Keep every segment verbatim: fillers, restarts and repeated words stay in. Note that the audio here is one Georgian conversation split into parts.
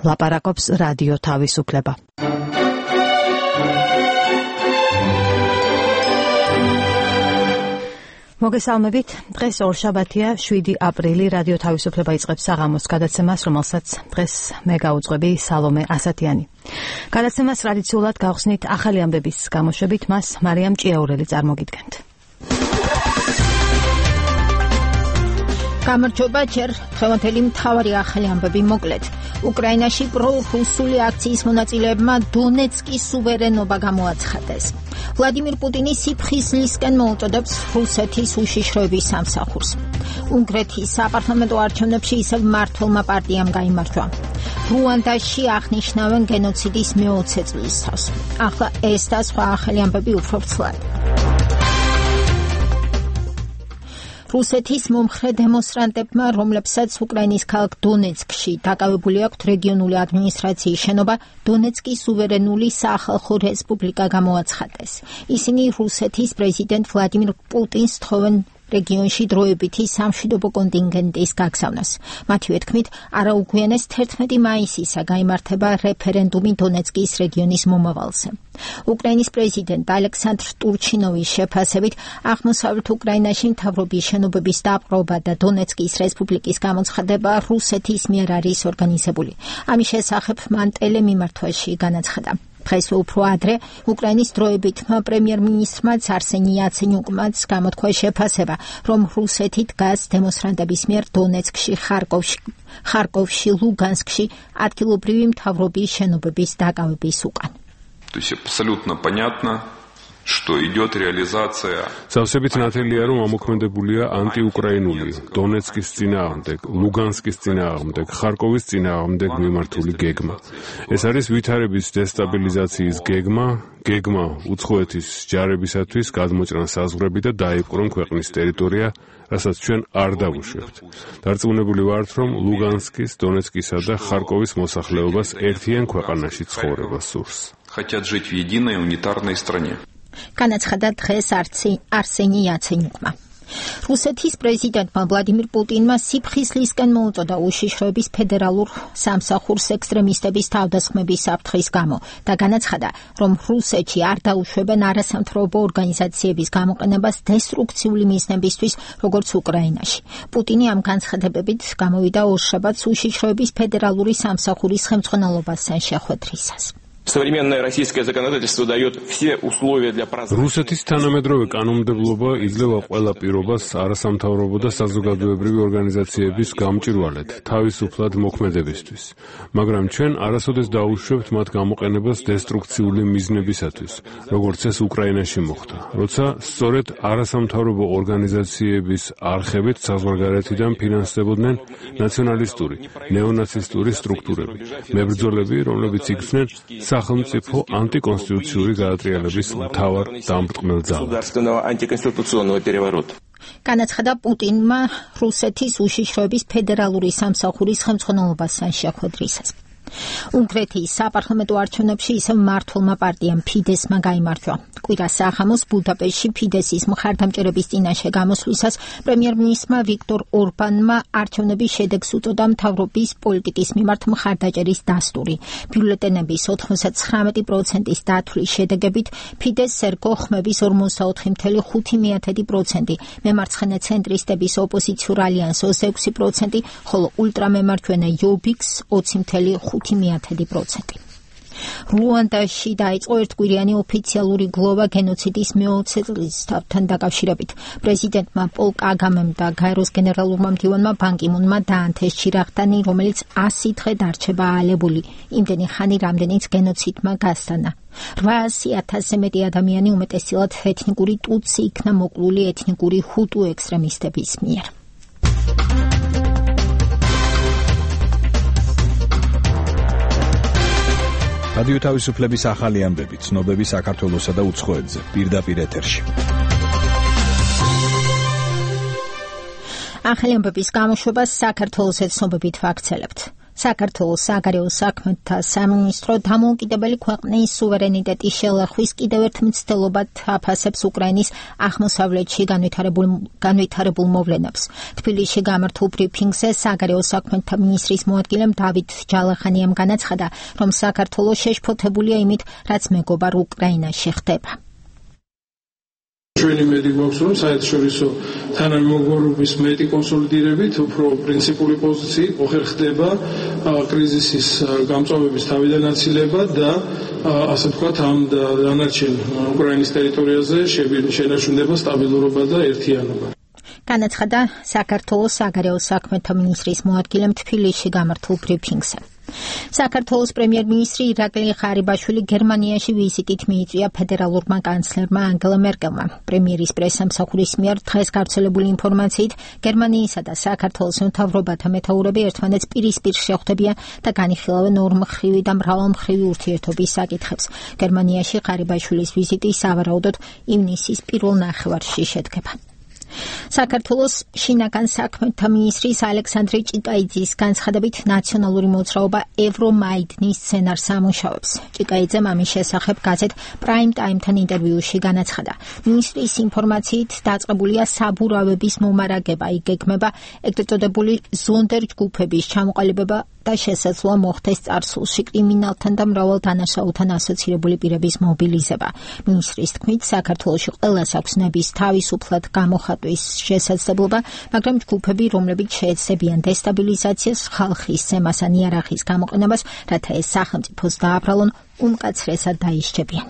ლაპარაკობს რადიო თავისუფლება. მოგესალმებით. დღეს ორშაბათია, შვიდი აპრილი, რადიო თავისუფლება იწყებს საღამოს გადაცემას, რომელსაც დღეს მე გაუძღვები სალომე ასათიანი. გადაცემას ტრადიციულად გავხსნით ახალი ამბების გამოშვებით, მას მარიამ ჭიაურელი წარმოგიდგენთ. გამარჯობა, ჯერ დღევანდელი მთავარი ახალი ამბები მოკლედ. უკრაინაში პრორუსული აქციის მონაწილეებმა დონეცკის სუვერენობა გამოაცხადეს. ვლადიმირ პუტინი სიფხიზლისკენ მოუწოდებს რუსეთის უშიშროების სამსახურს. უნგრეთის საპარლამენტო არჩევნებში ისევ მმართველმა პარტიამ გაიმარჯვა. რუანდაში აღნიშნავენ გენოციდის მეოცე წლისთავს. ახლა ეს და სხვა ახალი ამბები უფრო ვრცლად. რუსეთის მომხრე დემონსტრანტებმა, რომლებსაც უკრაინის ქალაქ დონეცკში დაკავებული აქვთ რეგიონული ადმინისტრაციის შენობა, დონეცკის სუვერენული სახალხო რესპუბლიკა გამოაცხადეს. ისინი რუსეთის პრეზიდენტ ვლადიმირ პუტინს თხოვენ რეგიონში დროებითი სამშვიდობო კონტინგენტის გაგზავნას. მათივე თქმით, არაუგვიანეს თერთმეტი მაისისა გაიმართება რეფერენდუმი დონეცკის რეგიონის მომავალზე. უკრაინის პრეზიდენტ ალექსანდრ ტურჩინოვის შეფასებით, აღმოსავლეთ უკრაინაში მთავრობის შენობების დაპყრობა და დონეცკის რესპუბლიკის გამოცხადება რუსეთის მიერ არის ორგანიზებული. ამის შესახებ მან ტელემიმართვაში განაცხადა. დღეს უფრო ადრე უკრაინის დროებითმა პრემიერ-მინისტრმა არსენი იაცენიუკმაც გამოთქვა შეფასება, რომ რუსეთი დგას დემონსტრანტების მიერ დონეცკში, ხარკოვში, ხარკოვში, ლუგანსკში ადგილობრივი მთავრობის შენობების დაკავების უკან. То есть абсолютно понятно, что идет реализация. Завсებით ნათელია, რომ ამოქმედებულია ანტიუკრაინული, დონეცკის წინააღმდეგ, ლუგანსკის წინააღმდეგ, ხარკოვის წინააღმდეგ მიმართული გეგმა. ეს არის ვითარების დესტაბილიზაციის გეგმა, გეგმა უცხოეთის ჯარებისათვის გადმოჭრან საზღვრები და დაიპყრონ ქვეყნის ტერიტორია, რასაც ჩვენ არ დავუშვებთ. დარწმუნებული ვართ, რომ ლუგანსკის, დონეცკისა და ხარკოვის მოსახლეობას ერთიან ქვეყანაში ცხოვრება სურს. Хотят жить в единой унитарной стране. განაცხადა დღეს არსენი იაცენიუკმა. რუსეთის პრეზიდენტმა ვლადიმირ პუტინმა სიფხიზლისკენ მოუწოდა უშიშროების ფედერალურ სამსახურს ექსტრემისტების თავდასხმების საფრთხის გამო და განაცხადა, რომ რუსეთში არ დაუშვებენ არასამთავრობო ორგანიზაციების გამოყენებას დესტრუქციული მიზნებისთვის, როგორც უკრაინაში. პუტინი ამ განცხადებებით გამოვიდა ორშაბათს უშიშროების ფედერალური სამსახურის ხელმძღვანელობასთან შეხვედრისას. Современное российское законодательство дает все условия для прозрачности. რუსეთის თანამედროვე კანონმდებლობა იძლევა ყველა პირობას არასამთავრობო და საზოგადოებრივი ორგანიზაციების გამჭვირვალედ თავისუფლად მოქმედებისთვის. მაგრამ ჩვენ არასოდეს დაუშვებთ მათ გამოყენებას დესტრუქციული მიზნებისათვის, როგორც ეს უკრაინაში მოხდა, როცა სწორედ არასამთავრობო ორგანიზაციების არხებით საზღვარგარეთიდან ფინანსდებოდნენ ნაციონალისტური, ნეონაცისტური სტრუქტურები, მებრძოლები, რომლებიც იგრძნენ სახელმწიფო ანტიკონსტიტუციური გადატრიალების მთავარ დამბრტყმელ ძალად. განაცხადა პუტინმა რუსეთის უშიშროების ფედერალური სამსახურის ხელმძღვანელობასთან შეხვედრისას. უნგრეთის საპარლამენტო არჩევნებში ისევ მმართველმა პარტიამ ფიდესმა გაიმარჯვა. კვირა საღამოს ბუდაპეშტში ფიდესის მხარდამჭერების წინაშე გამოსვლისას პრემიერ-მინისტრმა ვიქტორ ორბანმა არჩევნების შედეგს უწოდა მთავრობის პოლიტიკის მიმართ მხარდაჭერის დასტური. ბიულეტენების ოთხმოცდათხრამეტი პროცენტის დათვლის შედეგებით ფიდეს ერგო ხმების ორმოცდაოთხი წუთი ხუთი პროცენტი, მემარცხენე ცენტრისტების ოპოზიციურ ალიანსს ექვსი პროცენტი, ხოლო ულტრამემარჯვენე იობიქს ოცი წუთი ხუთი პროცენტი. რუანდაში დაიწყო ერთკვირიანი ოფიციალური გლოვა გენოციდის მეოცე წლისთავთან დაკავშირებით. პრეზიდენტმა პოლ კაგამემ და გაეროს გენერალურმა მდივანმა ბან კი მუნმა დაანთეს ჩირაღდანი, რომელიც ასი დღე დარჩება აალებული. იმდენი ხანი, რამდენიც გენოციდმა გასტანა. რვაასი ათასზე მეტი ადამიანი უმეტესწილად ეთნიკური ტუტსი იქნა მოკლული ეთნიკური ჰუტუ ექსტრემისტების მიერ. რადიო თავისუფლების ახალი ამბები, ცნობები საქართველოსა და უცხოეთზე, პირდაპირ ეთერში. ახალი ამბების გამოშვებას საქართველოს ცნობებით ვაქცელებთ. საქართველოს საგარეო საქმეთა სამინისტრო დამოუკიდებელი ქვეყნის სუვერენიტეტის შელახვის კიდევ ერთ მცდელობად აფასებს უკრაინის აღმოსავლეთში განვითარებულ განვითარებულ მოვლენებს. თბილისში გამართულ ბრიფინგზე საგარეო საქმეთა მინისტრის მოადგილემ დავით ჯალახანიამ განაცხადა, რომ საქართველოს შეშფოთებულია იმით, რაც მეგობარ უკრაინაში ხდება. ჩვენი მედი გვაქვს, რომ საერთაშორისო თანამეგობრობის მეტი კონსოლიდირებით უფრო პრინციპული პოზიციით ოხერ ხდება კრიზისის გამწვავების თავიდან აცილება და ასე ვთქვათ ამ დანარჩენ უკრაინის ტერიტორიაზე შენარჩუნდება სტაბილურობა და ერთიანობა. განაცხადა საქართველოს საგარეო საქმეთა მინისტრის მოადგილემ თბილისში გამართულ ბრიფინგზე. საქართველოს პრემიერ-მინისტრი ირაკლი ღარიბაშვილი გერმანიაში ვიზიტით მიიწვია ფედერალურმა კანცლერმა ანგელა მერკელმა. პრემიერის პრესამსახურის მიერ დღეს გავრცელებული ინფორმაციით, გერმანიისა და საქართველოს მთავრობათა მეთაურები ერთმანეთს პირისპირ შეხვდებიან და განიხილავენ ორმხრივი და მრავალმხრივი ურთიერთობის საკითხებს. გერმანიაში ღარიბაშვილის ვიზიტი სავარაუდოდ ივნისის პირველ ნახევარში შედგება. საქართველოს შინაგან საქმეთა მინისტრის ალექსანდრე ჭიკაიძის განცხადებით ნაციონალური მოძრაობა ევრომაიდნის სცენარს ამუშავებს. ჭიკაიძემ ამის შესახებ გაზეთ პრაიმ ტაიმთან ინტერვიუში განაცხადა. მინისტრის ინფორმაციით დაწყებულია საბურავების მომარაგება, იგეგმება ეგრეთ წოდებული ზონდერ ჯგუფების ჩამოყალიბება და შესაძლოა მოხდეს წარსულში კრიმინალთან და მრავალ დანაშაულთან ასოცირებული პირების მობილიზება. მინისტრის თქმით, საქართველოში ყველას აქვს ნების თავისუფლად გამოხატვის შესაძლებლობა, მაგრამ ჯგუფები, რომლებიც შეეცდებიან დესტაბილიზაციას, ხალხის ზემას ან იარაღის გამოყენებას, რათა ეს სახელმწიფოს დააბრალონ, უმკაცრესად დაიშჩებიან.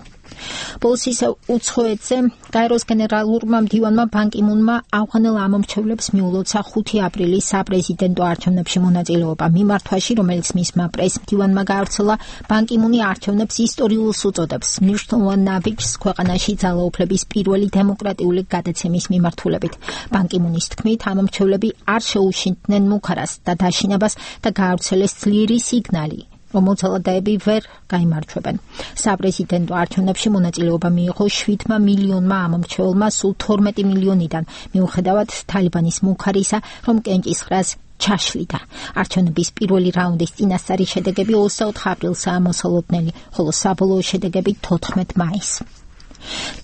ბოლოს ისევ უცხოეთზე გაეროს გენერალურმა მდივანმა ბან კი მუნმა ავღანელ ამომრჩევლებს მიულოცა ხუთი აპრილის საპრეზიდენტო არჩევნებში მონაწილეობა. მიმართვაში, რომელიც მისმა პრეს-მდივანმა გაავრცელა, ბან კი მუნი არჩევნებს ისტორიულს უწოდებს, მნიშვნელოვან ნაბიჯს ქვეყანაში ძალაუფლების პირველი დემოკრატიული გადაცემის მიმართულებით. ბან კი მუნის თქმით, ამომრჩევლები არ შეუშინდნენ მუქარას და დაშინებას და გაავრცელეს ძლიერი სიგნალი, რომ მოძალადეები ვერ გაიმარჯვებენ. საპრეზიდენტო არჩევნებში მონაწილეობა მიიღო შვიდმა მილიონმა ამომრჩეველმა სულ თორმეტი მილიონიდან, მიუხედავად თალიბანის მუქარისა, რომ კენჭისყრას ჩაშლიდა. არჩევნების პირველი რაუნდის წინასწარი შედეგები ოცდაოთხ აპრილსაა მოსალოდნელი, ხოლო საბოლოო შედეგები თოთხმეტ მაისს.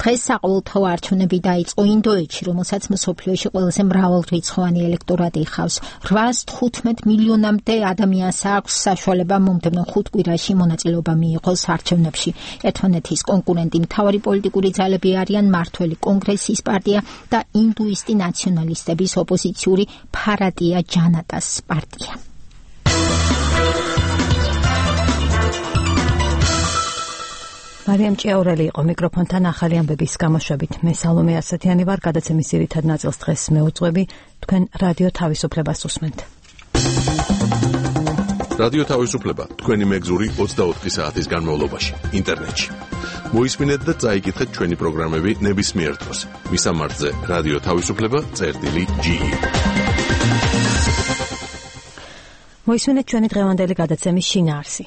დღეს საყოველთაო არჩევნები დაიწყო ინდოეთში, რომელსაც მსოფლიოში ყველაზე მრავალრიცხოვანი ელექტორატი იხავს. რვაას თხუთმეტ მილიონამდე ადამიანს აქვს საშუალება მომდევნო ხუთ კვირაში მონაწილეობა მიიღოს არჩევნებში. ერთმანეთის კონკურენტი მთავარი პოლიტიკური ძალები არიან მართველი კონგრესის პარტია და ინდუისტი ნაციონალისტების ოპოზიციური ფარატია ჯანატას პარტია. მარიამ ჭიაურელი იყო მიკროფონთან ახალი ამბების გამოშვებით. მე სალომე ასათიანი ვარ, გადაცემის ძირითად ნაწილს დღეს მეუძღვები, თქვენ რადიო თავისუფლებას უსმენთ. რადიო თავისუფლება თქვენი მეგზური ოცდაოთხი საათის განმავლობაში ინტერნეტში. მოისმინეთ და წაიკითხეთ ჩვენი პროგრამები ნებისმიერ დროს. მისამართზე რადიო თავისუფლება წერტილი ჯი. მოისმინეთ ჩვენი დღევანდელი გადაცემის შინაარსი.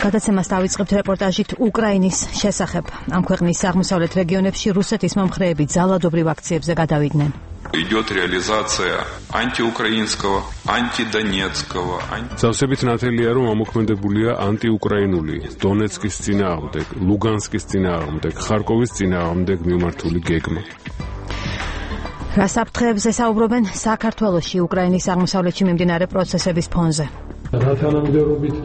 გადაცემას დავიწყებთ რეპორტაჟით უკრაინის შესახებ. ამ ქვეყნის აღმოსავლეთ რეგიონებში რუსეთის მომხრეები ძალადობრივ აქციებზე გადავიდნენ. Идет реализация антиукраинского, антидонецкого. Завсებით ნათელია, რომ ამოქმედებულია ანტიუკრაინული, დონეცკის წინააღმდეგ, ლუგანსკის წინააღმდეგ, ხარკოვის წინააღმდეგ მიმართული გეგმა. რა საფრთხეებზე საუბრობენ საქართველოში უკრაინის აღმოსავლეთში მიმდინარე პროცესების ფონზე? რა თანამდებობით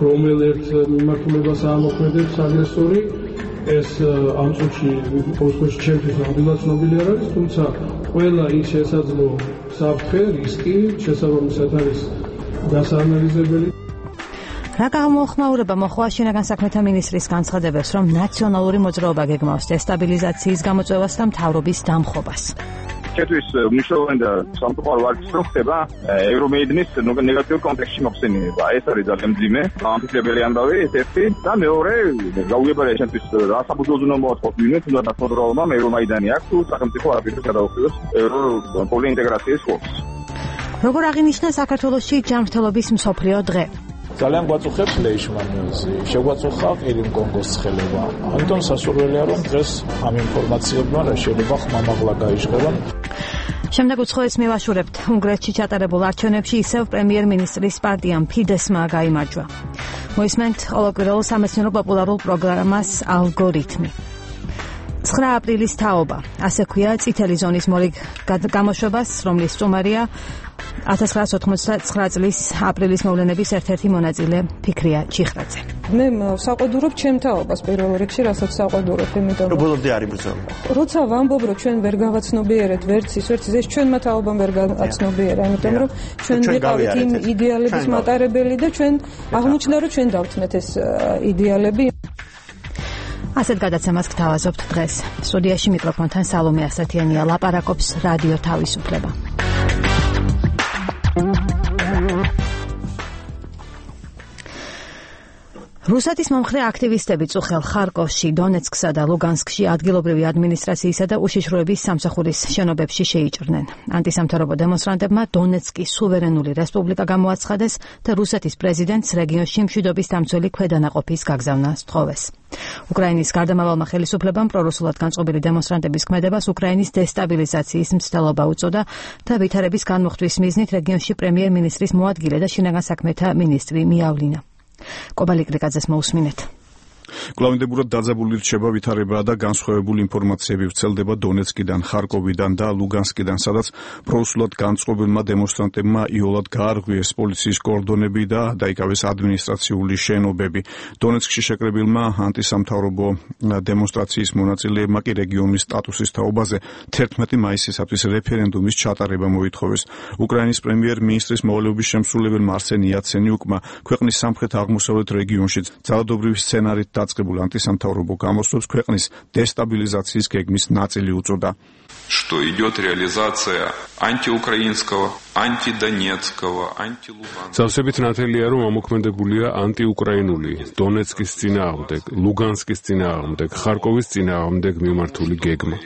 რომელერთ მიმართულებას ამოქმედებს აგრესორი, ეს ამ წუთში პოსტში ჩემთვის ნამდვილად ცნობილი არ არის, თუმცა ყველა ის შესაძლო საფრთხე, რისკი შესაბამისად არის დასაანალიზებელი. რა გამოხმაურება მოხდა შინაგან საქმეთა მინისტრის განცხადებას, რომ ნაციონალური მოძრაობა გეგმავს დესტაბილიზაციის გამოწვევას და მთავრობის დამხობას. Четверть მნიშვნელოვანი და სამწუხარო ვარცხი ხდება ევრომეიდნის ნეგატიურ კონტექსტში მოხსენიება. ეს არის ძალიან მძიმე, ამფიქრებელი ამბავი ეს ერთი და მეორე გაუგებარია ჩემთვის რა საბრძოლო მოაწყოთ ვინმე თუნდაც მოძრაობამ ევრომაიდანი აქვს თუ სახელმწიფო არაფერს გადაუხდოს ევროპული ინტეგრაციის ხობს. როგორ აღინიშნა საქართველოში ჯანმრთელობის მსოფლიო დღე? ძალიან გვაწუხებს ლეიშმანიოზი, შეგვაწუხა ყირიმ კონგოს ცხელება. ამიტომ სასურველია, რომ დღეს ამ ინფორმაციებმა რა შეიძლება ხმამაღლა გაიჟღერონ. შემდეგ უცხოეთს მივაშურებთ. უნგრეთში ჩატარებულ არჩევნებში ისევ პრემიერ-მინისტრის პარტიამ ფიდესმა გაიმარჯვა. მოისმენთ ყოველკვირეულ სამეცნიერო პოპულარულ პროგრამას ალგორითმი. ცხრა აპრილის თაობა. ასე ქვია წითელი ზონის მორიგ გამოშვებას, რომლის სტუმარია ათას ცხრაასი ოთხმოცდათცხრა წლის აპრილის მოვლენების ერთ-ერთი მონაწილე ფიქრია ჩიხრაძე. მე საყვედურობ ჩემ თაობას პირველ რიგში, რასაც საყვედურობ, იმიტომ რომ ბოლომდე არის ბრძოლა. როცა ვამბობ, რომ ჩვენ ვერ გავაცნობიერეთ ვერც ის, ვერც ის, ჩვენმა თაობამ ვერ გააცნობიერა, იმიტომ რომ ჩვენ ვიყავით იმ იდეალების მატარებელი და ჩვენ აღმოჩნდა, რომ ჩვენ დავთმეთ ეს იდეალები. ასეთ გადაცემას გთავაზობთ დღეს. სტუდიაში მიკროფონთან სალომე ასათიანია, ლაპარაკობს რადიო თავისუფლება. რუსეთის მომხრე აქტივისტები წუხელ ხარკოვში, დონეცკსა და ლუგანსკში ადგილობრივი ადმინისტრაციისა და უშიშროების სამსახურის შენობებში შეიჭრნენ. ანტისამთავრობო დემონსტრანტებმა დონეცკის სუვერენული რესპუბლიკა გამოაცხადეს და რუსეთის პრეზიდენტს რეგიონში მშვიდობის დამცველი ქვედანაყოფის გაგზავნა სთხოვეს. უკრაინის გარდამავალმა ხელისუფლებამ პრორუსულად განწყობილი დემონსტრანტების ქმედებას უკრაინის დესტაბილიზაციის მცდელობა უწოდა და ვითარების განმუხტვის მიზნით რეგიონში პრემიერ-მინისტრის მოადგილე და შინაგან საქმეთა მინისტრი მიავლინა. კობალი კრიკაძეს მოусმინეთ. კლავინდებურად დაძაბული რჩება ვითარება და განსხვავებული ინფორმაციები ვრცელდება დონეცკიდან, ხარკოვიდან და ლუგანსკიდან, სადაც პრორუსულად განწყობილმა დემონსტრანტებმა იოლად გაარღვიეს პოლიციის კორდონები და დაიკავეს ადმინისტრაციული შენობები. დონეცკში შეკრებილმა ანტისამთავრობო დემონსტრაციის მონაწილეებმა კი რეგიონის სტატუსის თაობაზე თერთმეტი მაისისათვის რეფერენდუმის ჩატარება მოითხოვეს. უკრაინის პრემიერ-მინისტრის მოვალეობის შემსრულებელმა არსენ იაცენიუკმა ქვეყნის სამხრეთ-აღმოსავლეთ რეგიონში ძალადობრივი სცენარით დაწყებულ ანტისამთავრობო გამოსვლებს ქვეყნის დესტაბილიზაციის გეგმის ნაწილი უწოდა. Что идет реализация антиукраинского, антидонецкого, антилуганского. Სავსებით ნათელია, რომ ამოქმედებულია ანტიუკრაინული, დონეცკის წინააღმდეგ, ლუგანსკის წინააღმდეგ, ხარკოვის წინააღმდეგ მიმართული გეგმა.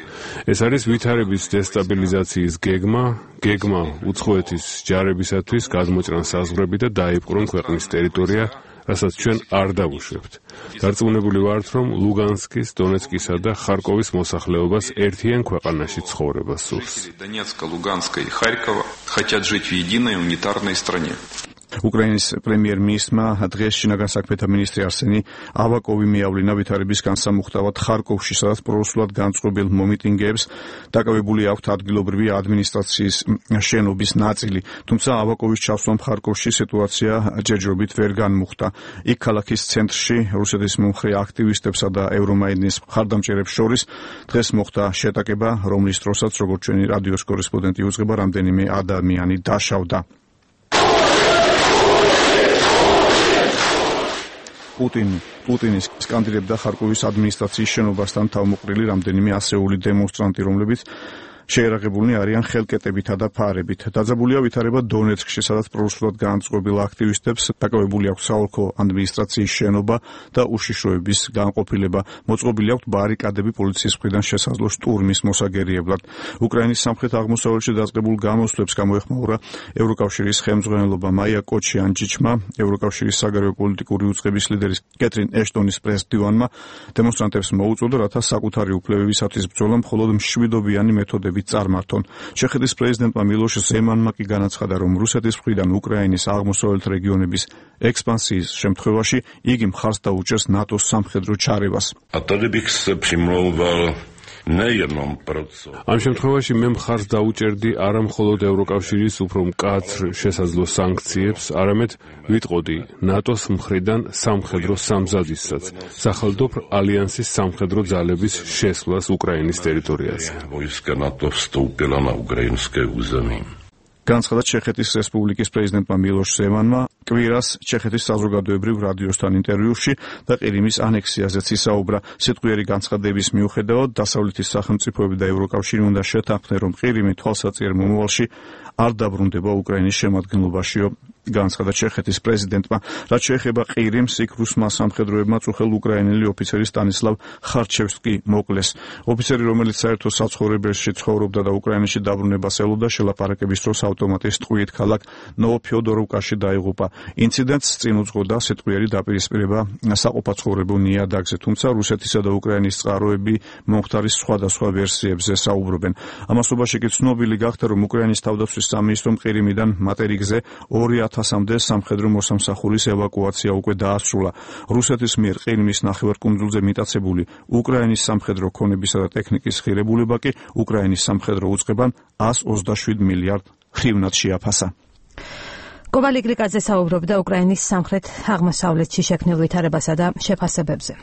ეს არის ვითარების დესტაბილიზაციის გეგმა, გეგმა უცხოეთის ჯარებისათვის გადმოჭრან საზღვრები და დაიპყრონ ქვეყნის ტერიტორია, რასაც ჩვენ არ დავუშვებთ. დარწმუნებული ვართ, რომ ლუგანსკის, დონეცკისა და ხარკოვის მოსახლეობას ერთიან ქვეყანაში ცხოვრება სურს. Донецка, Луганска и Харькова хотят жить в единой унитарной стране. უკრაინის პრემიერ-მინისტრმა დღეს შინაგან საქმეთა მინისტრი არსენი ავაკოვი მიავლინა ვითარების განსამუხტავად ხარკოვში, სადაც პრორუსულად განწყობილ მომიტინგეებს დაკავებული აქვთ ადგილობრივი ადმინისტრაციის შენობის ნაწილი. თუმცა ავაკოვის ჩასვლამ ხარკოვში სიტუაცია ჯერჯერობით ვერ განმუხტა. იქ ქალაქის ცენტრში რუსეთის მომხრე აქტივისტებსა და ევრომაიდნის მხარდამჭერებს შორის დღეს მოხდა შეტაკება, რომლის დროსაც, როგორც ჩვენი რადიოს კორესპონდენტი უძღვება, რამდენიმე ადამიანი დაშავდა. პუტინი პუტინის სკანდირებდა ხარკოვის ადმინისტრაციის შენობასთან თავმოყრილი რამდენიმე ასეული დემონსტრანტი, რომლებიც შეერაღებულნი არიან ხელკეტებითა და ფარებით. დაძაბულია ვითარება დონეცკში, სადაც პრორუსულად განწყობილ აქტივისტებს დაკავებული აქვს საოლქო ადმინისტრაციის შენობა და უშიშროების განყოფილება. მოწყობილი აქვს ბარიკადები პოლიციის მხრიდან შესაძლო შტურმის მოსაგერიებლად. უკრაინის სამხრეთ-აღმოსავლეთში დაწყებულ გამოსვლებს გამოეხმაურა ევროკავშირის ხელმძღვანელობა. მაია კოჩიანჯიჩმა, ევროკავშირის საგარეო პოლიტიკური უწყების ლიდერის კეთრინ ეშტონის პრეს-დივანმა დემონსტრანტებს მოუწოდა, რათა საკუთარი უფლებებისათვის ბრძოლა მხოლოდ მშვიდობიანი მეთოდებით წარმართონ. ჩეხეთის პრეზიდენტმა მილოშ ზემანმა კი განაცხადა, რომ რუსეთის მხრიდან უკრაინის აღმოსავლეთ რეგიონების ექსპანსიის შემთხვევაში იგი მხარს დაუჭერს ნატოს სამხედრო ჩარევას. ამ შემთხვევაში მე მხარს დაუჭერდი არა მხოლოდ ევროკავშირის უფრო მკაცრ შესაძლო სანქციებს, არამედ ვიტყოდი ნატოს მხრიდან სამხედრო სამზადისსაც, სახელმწიფო ალიანსის სამხედრო ძალების შესვლას უკრაინის ტერიტორიაზე. განცხადა ჩეხეთის რესპუბლიკის პრეზიდენტმა მილოშ ზემანმა კვირას ჩეხეთის საზოგადოებრივ რადიოსთან ინტერვიუში და ყირიმის ანექსიაზეც ისაუბრა. სიტყვიერი განცხადების მიუხედავად დასავლეთის სახელმწიფოები და ევროკავშირი უნდა შეთანხმდნენ, რომ ყირიმი თვალსაჩინო მომავალში არ დაბრუნდება უკრაინის შემადგენლობაშიო. განცხადა ჩეხეთის პრეზიდენტმა. რაც შეეხება ყირიმს, იქ რუსმა სამხედროებმა წუხელ უკრაინელი ოფიცერი სტანისლავ ხარჩევსკი მოკლეს. ოფიცერი, რომელიც საერთო საცხოვრებელში ცხოვრობდა და უკრაინაში დაბრუნებას ელოდა, შელაპარაკების დროს ავტომატის ტყვიით ქალაქ ნოვოფიოდოროვკაში დაიღუპა. ინციდენტს წინ უძღოდა სიტყვიერი დაპირისპირება საყოფაცხოვრებო ნიადაგზე, თუმცა რუსეთისა და უკრაინის წყაროები მომხდარის სხვადასხვა ვერსიებზე საუბრობენ. ამასობაში კი ცნობილი გახდა, რომ უკრაინის თავდაცვის სამინისტრომ ყირიმიდან მატერიკზე ორი ათასამდე სამხედრო მოსამსახურის ევაკუაცია უკვე დაასრულა. რუსეთის მიერ ყირიმის ნახევარკუნძულზე მიტაცებული უკრაინის სამხედრო ქონებისა და ტექნიკის ღირებულება კი უკრაინის სამხედრო უწყებამ εκατს ოცდაშვიდ მილიარდ ჰრივნად შეაფასა. კოვალი გრიკაძე საუბრობდა უკრაინის სამხრეთ აღმოსავლეთში შექმნილ ვითარებასა და შეფასებებზე.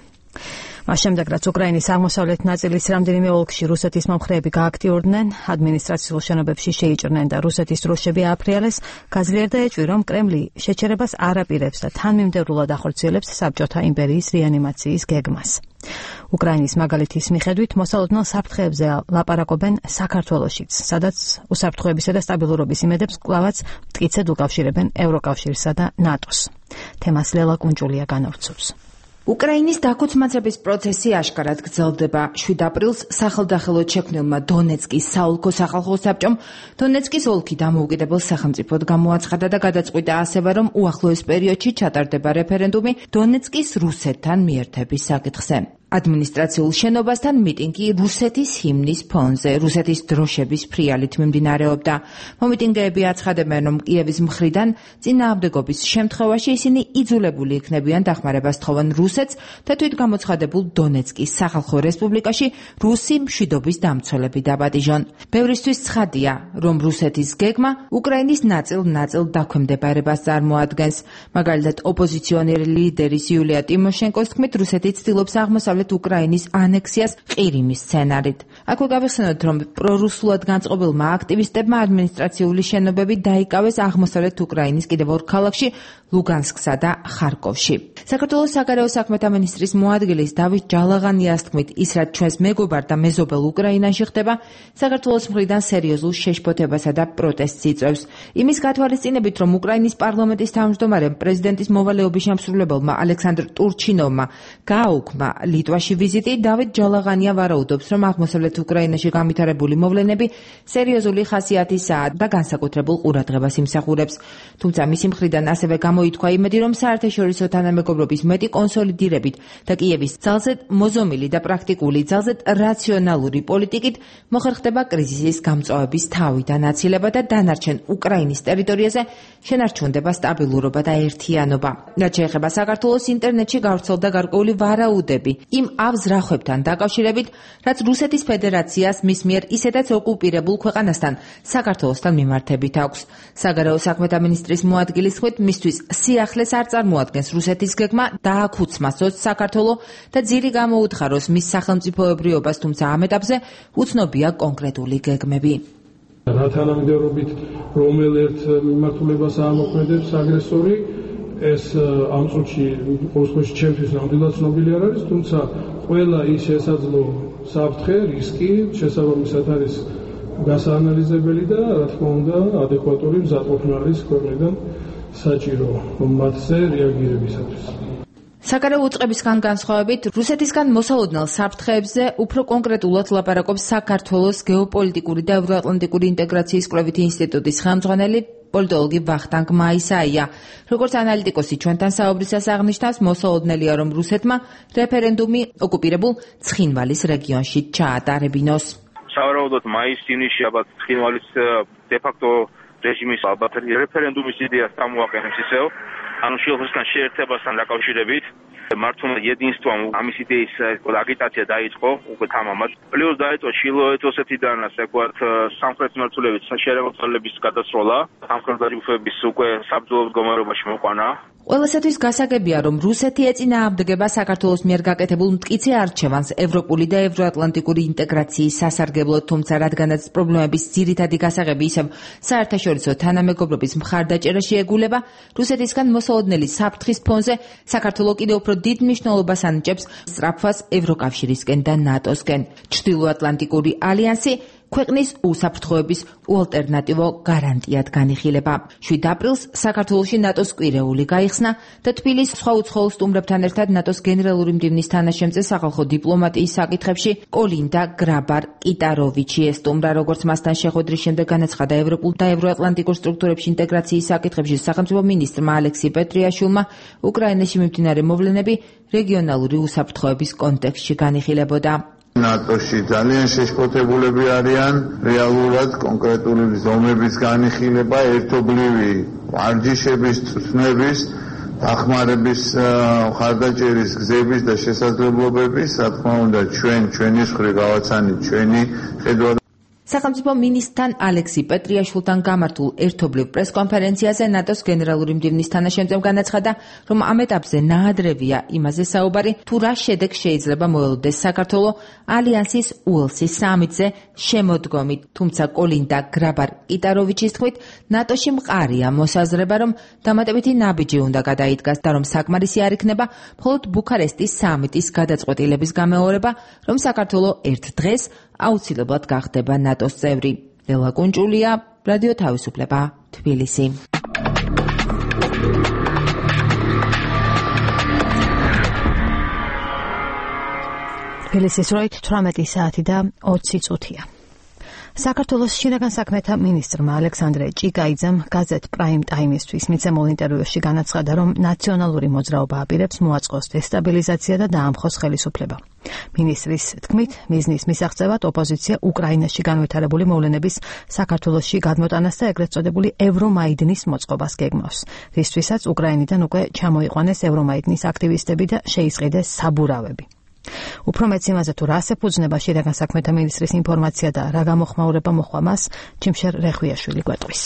მას შემდეგ, რაც უკრაინის აღმოსავლეთ ნაწილის რამდენიმე ოლქში რუსეთის მომხრეები გააქტიურდნენ, ადმინისტრაციულ შენობებში შეიჭრნენ და რუსეთის დროშები ააფრიალეს, გაძლიერდა ეჭვი, რომ კრემლი შეჩერებას არ აპირებს და თანმიმდევრულად ახორციელებს საბჭოთა იმპერიის რეანიმაციის გეგმას. უკრაინის მაგალითის მიხედვით მოსალოდნელ საფრთხეებზე ლაპარაკობენ საქართველოშიც, სადაც უსაფრთხოებისა და სტაბილურობის იმედებს კვლავაც მტკიცედ უკავშირებენ ევროკავშირსა და ნატოს. თემას ლელა კუნჭულია განავრცობს. უკრაინის დაქუცმაცების პროცესი აშკარად გრძელდება. შვიდ აპრილს სახელდახელოდ შექმნილმა დონეცკის საოლქო სახალხო საბჭომ დონეცკის ოლქი დამოუკიდებელ სახელმწიფოდ გამოაცხადა და გადაწყვიტა ასევე, რომ უახლოეს პერიოდში ჩატარდება რეფერენდუმი დონეცკის რუსეთთან მიერთების საკითხზე. ადმინისტრაციულ შენობასთან მიტინგი რუსეთის ჰიმნის ფონზე, რუსეთის დროშების ფრიალით მიმდინარეობდა. მომიტინგეები აცხადებენ, რომ კიევის მხრიდან წინააღმდეგობის შემთხვევაში ისინი იძულებული იქნებიან დახმარებას თხოვენ რუსეთს და თვით გამოცხადებულ დონეცკის სახალხო რესპუბლიკაში რუსი მშვიდობის დამცველები დაბადიჟონ. ბევრისთვის ცხადია, რომ რუსეთის გეგმა უკრაინის ნაწილ-ნაწილ დაქვემდებარებას წარმოადგენს. მაგალითად, ოპოზიციონერი ლიდერის იულია ტიმოშენკოს თქმით, რუსეთი ცდილობს აღმოსავლეთ უკრაინის ანექსიას ყირიმის სცენარით. აქვე გავიხსენოთ, რომ პრორუსულად განწყობილმა აქტივისტებმა ადმინისტრაციული შენობები დაიკავეს აღმოსავლეთ უკრაინის კიდევ ორ ქალაქში, ლუგანსკსა და ხარკოვში. საქართველოს საგარეო საქმეთა მინისტრის მოადგილის დავით ჯალაღანიას თქმით, ის რაც ჩვენს მეგობარ და მეზობელ უკრაინაში ხდება, საქართველოს მხრიდან სერიოზულ შეშფოთებასა და პროტესტს იწვევს. იმის გათვალისწინებით, რომ უკრაინის პარლამენტის თავმჯდომარემ პრეზიდენტის მოვალეობის შემსრულებელმა ალექსანდრ ტურჩინოვმა გააუქმა ლიტვაში ვიზიტი, დავით ჯალაღანია ვარაუდობს, რომ აღმოსავლეთ უკრაინაში განვითარებული მოვლენები სერიოზული ხასიათისაა და განსაკუთრებულ ყურადღებას იმსახურებს. თუმცა მისი მხრიდან ასევე გამოითქვა იმედი, რომ საერთაშორისო თანამეგობრობის მეტი კონსოლიდირებით და კიევის ძალზე მოზომილი და პრაქტიკული, ძალზე რაციონალური პოლიტიკით მოხერხდება კრიზისის გამწვავების თავი და ნაცილება და დანარჩენ უკრაინის ტერიტორიაზე შენარჩუნდება სტაბილურობა და ერთიანობა. რაც შეეხება საქართველოს ინტერნეტში გავრცელდა გარკვეული ვარაუდები იმ ავზრახვებთან დაკავშირებით, რაც რუსეთის ფედერაციას მის მიერ ისედაც ოკუპირებულ ქვეყანასთან საქართველოსთან მიმართებით აქვს. საგარეო საქმეთა მინისტრის მოადგილის თქმით, მისთვის სიახლეს არ წარმოადგენს რუსეთის გეგმა დააქუცმასოს საქართველო და ძირი გამოუთხაროს მის სახელმწიფოებრიობას, თუმცა ამ ეტაპზე უცნობია კონკრეტული გეგმები. რა თანამედროვით რომელ ერთ მიმართულებას ამოქმედებს აგრესორი, ეს ამ წუთში ყოველთვის ჩემთვის ნამდვილად ცნობილი არ არის, თუმცა ყველა ის შესაძლო საფრთხე, რისკი შესაბამისად არის გასაანალიზებელი და რა თქმა უნდა ადეკვატური მზადყოფნა არის ქვეყნიდან საჭირო მათზე რეაგირებისათვის. საგარეო უწყებისგან განსხვავებით, რუსეთისგან მოსალოდნელ საფრთხეებზე უფრო კონკრეტულად ლაპარაკობს საქართველოს გეოპოლიტიკური და ევროატლანტიკური ინტეგრაციის კვლევითი ინსტიტუტის ხელმძღვანელი პოლიტოლოგი ვახტანგ მაისაია. როგორც ანალიტიკოსი ჩვენთან საუბრისას აღნიშნავს, მოსალოდნელია, რომ რუსეთმა რეფერენდუმი ოკუპირებულ ცხინვალის რეგიონში ჩაატარებინოს. სავარაუდოდ მაის-ივნისში ალბათ ცხინვალის დე-ფაქტო რეჟიმის ალბათ რეფერენდუმის იდეას წამოაყენებს ისევ, ანუ შილოსთან შეერთებასთან დაკავშირებით. მართლმა единством ამის იდეის აგიტაცია დაიწყო უკვე თამამად. პლუს დაიწყო ჩილო-ეთოსეთიდან ასე ვთქვათ სამხრეთ მმართველების შეერაგოწოლების გადასროლა, სამხრეთი ჯგუფების უკვე საბრძოლო მდგომარეობაში მოყვანა. ყველასათვის გასაგებია, რომ რუსეთი ეწინააღმდეგება საქართველოს მიერ გაკეთებულ მტკიცე არჩევანს ევროპული და ევროატლანტიკური ინტეგრაციის სასარგებლოდ, თუმცა რადგანაც პრობლემების ძირითადი გასაღები ისევ საერთაშორისო თანამეგობრობის მხარდაჭერაში ეგულება, რუსეთისგან მოსალოდნელი საფრთხის ფონზე საქართველო კიდევ უფრო დიდ მნიშვნელობას ანიჭებს სწრაფვას ევროკავშირისკენ და ნატოსკენ. ჩრდილოატლანტიკური ალიანსი ქვეყნის უსაფრთხოების უალტერნატივო გარანტიად განიხილება. შვიდ აპრილს საქართველოში ნატოს კვირეული გაიხსნა და თბილისის სხვა უცხოელ სტუმრებთან ერთად ნატოს გენერალური მდივნის თანაშემწე სახალხო დიპლომატიის საკითხებში კოლინდა გრაბარ-კიტაროვიჩი ესტუმრა, როგორც მასთან შეხვედრის შემდეგ განაცხადა ევროპულ და ევროატლანტიკურ სტრუქტურებში ინტეგრაციის საკითხებში სახელმწიფო მინისტრმა ალექსი პეტრიაშვილმა, უკრაინაში მიმდინარე მოვლენები რეგიონალური უსაფრთხოების კონტექსტში განიხილებოდა. ნატოში ძალიან შეშფოთებულები არიან, რეალურად კონკრეტული ზომების განიხილება, ერთობლივი ვარჯიშების, წვნების, დახმარების, მხარდაჭერის გზების და შესაძლებლობების, რა თქმა უნდა, ჩვენ ჩვენი მხრივ გავაცანით ჩვენი ხედვა. სახელმწიფო მინისტრთან ალექსი პეტრიაშვილთან გამართულ ერთობლივ პრესკონფერენციაზე ნატოს გენერალური მდივნის თანაშემწემ განაცხადა, რომ ამ ეტაპზე ნაადრევია იმაზე საუბარი, თუ რა შედეგს შეიძლება მოელოდეს საქართველო ალიანსის უელსის სამიტზე შემოდგომით. თუმცა კოლინდა გრაბარ-კიტაროვიჩის თქმით, ნატოში მყარია მოსაზრება, რომ დამატებითი ნაბიჯი უნდა გადაიდგას და რომ საკმარისი არ იქნება მხოლოდ ბუქარესტის სამიტის გადაწყვეტილების გამეორება, რომ საქართველო ერთ დღეს აუცილებლად გახდება ნატოს წევრი. ლელა კუნჭულია, რადიო თავისუფლება, თბილისი. თბილისის დროით თვრამეტი საათი და ოცი წუთია. საქართველოს შინაგან საქმეთა მინისტრმა ალექსანდრე ჭიკაიძემ გაზეთ პრაიმ ტაიმისთვის მიცემულ ინტერვიუში განაცხადა, რომ ნაციონალური მოძრაობა აპირებს მოაწყოს დესტაბილიზაცია და დაამხოს ხელისუფლება. მინისტრის თქმით, მიზნის მისაღწევად ოპოზიცია უკრაინაში განვითარებული მოვლენების საქართველოში გადმოტანას და ეგრეთ წოდებული ევრომაიდნის მოწყობას გეგმავს, რისთვისაც უკრაინიდან უკვე ჩამოიყვანეს ევრომაიდნის აქტივისტები და შეისყიდეს საბურავები. უფრო მეც იმაზე, თუ რას ეფუძნება შინაგან საქმეთა მინისტრის ინფორმაცია და რა გამოხმაურება მოჰყვა მას, ჩიმშერ რეხვიაშვილი გვეტყვის.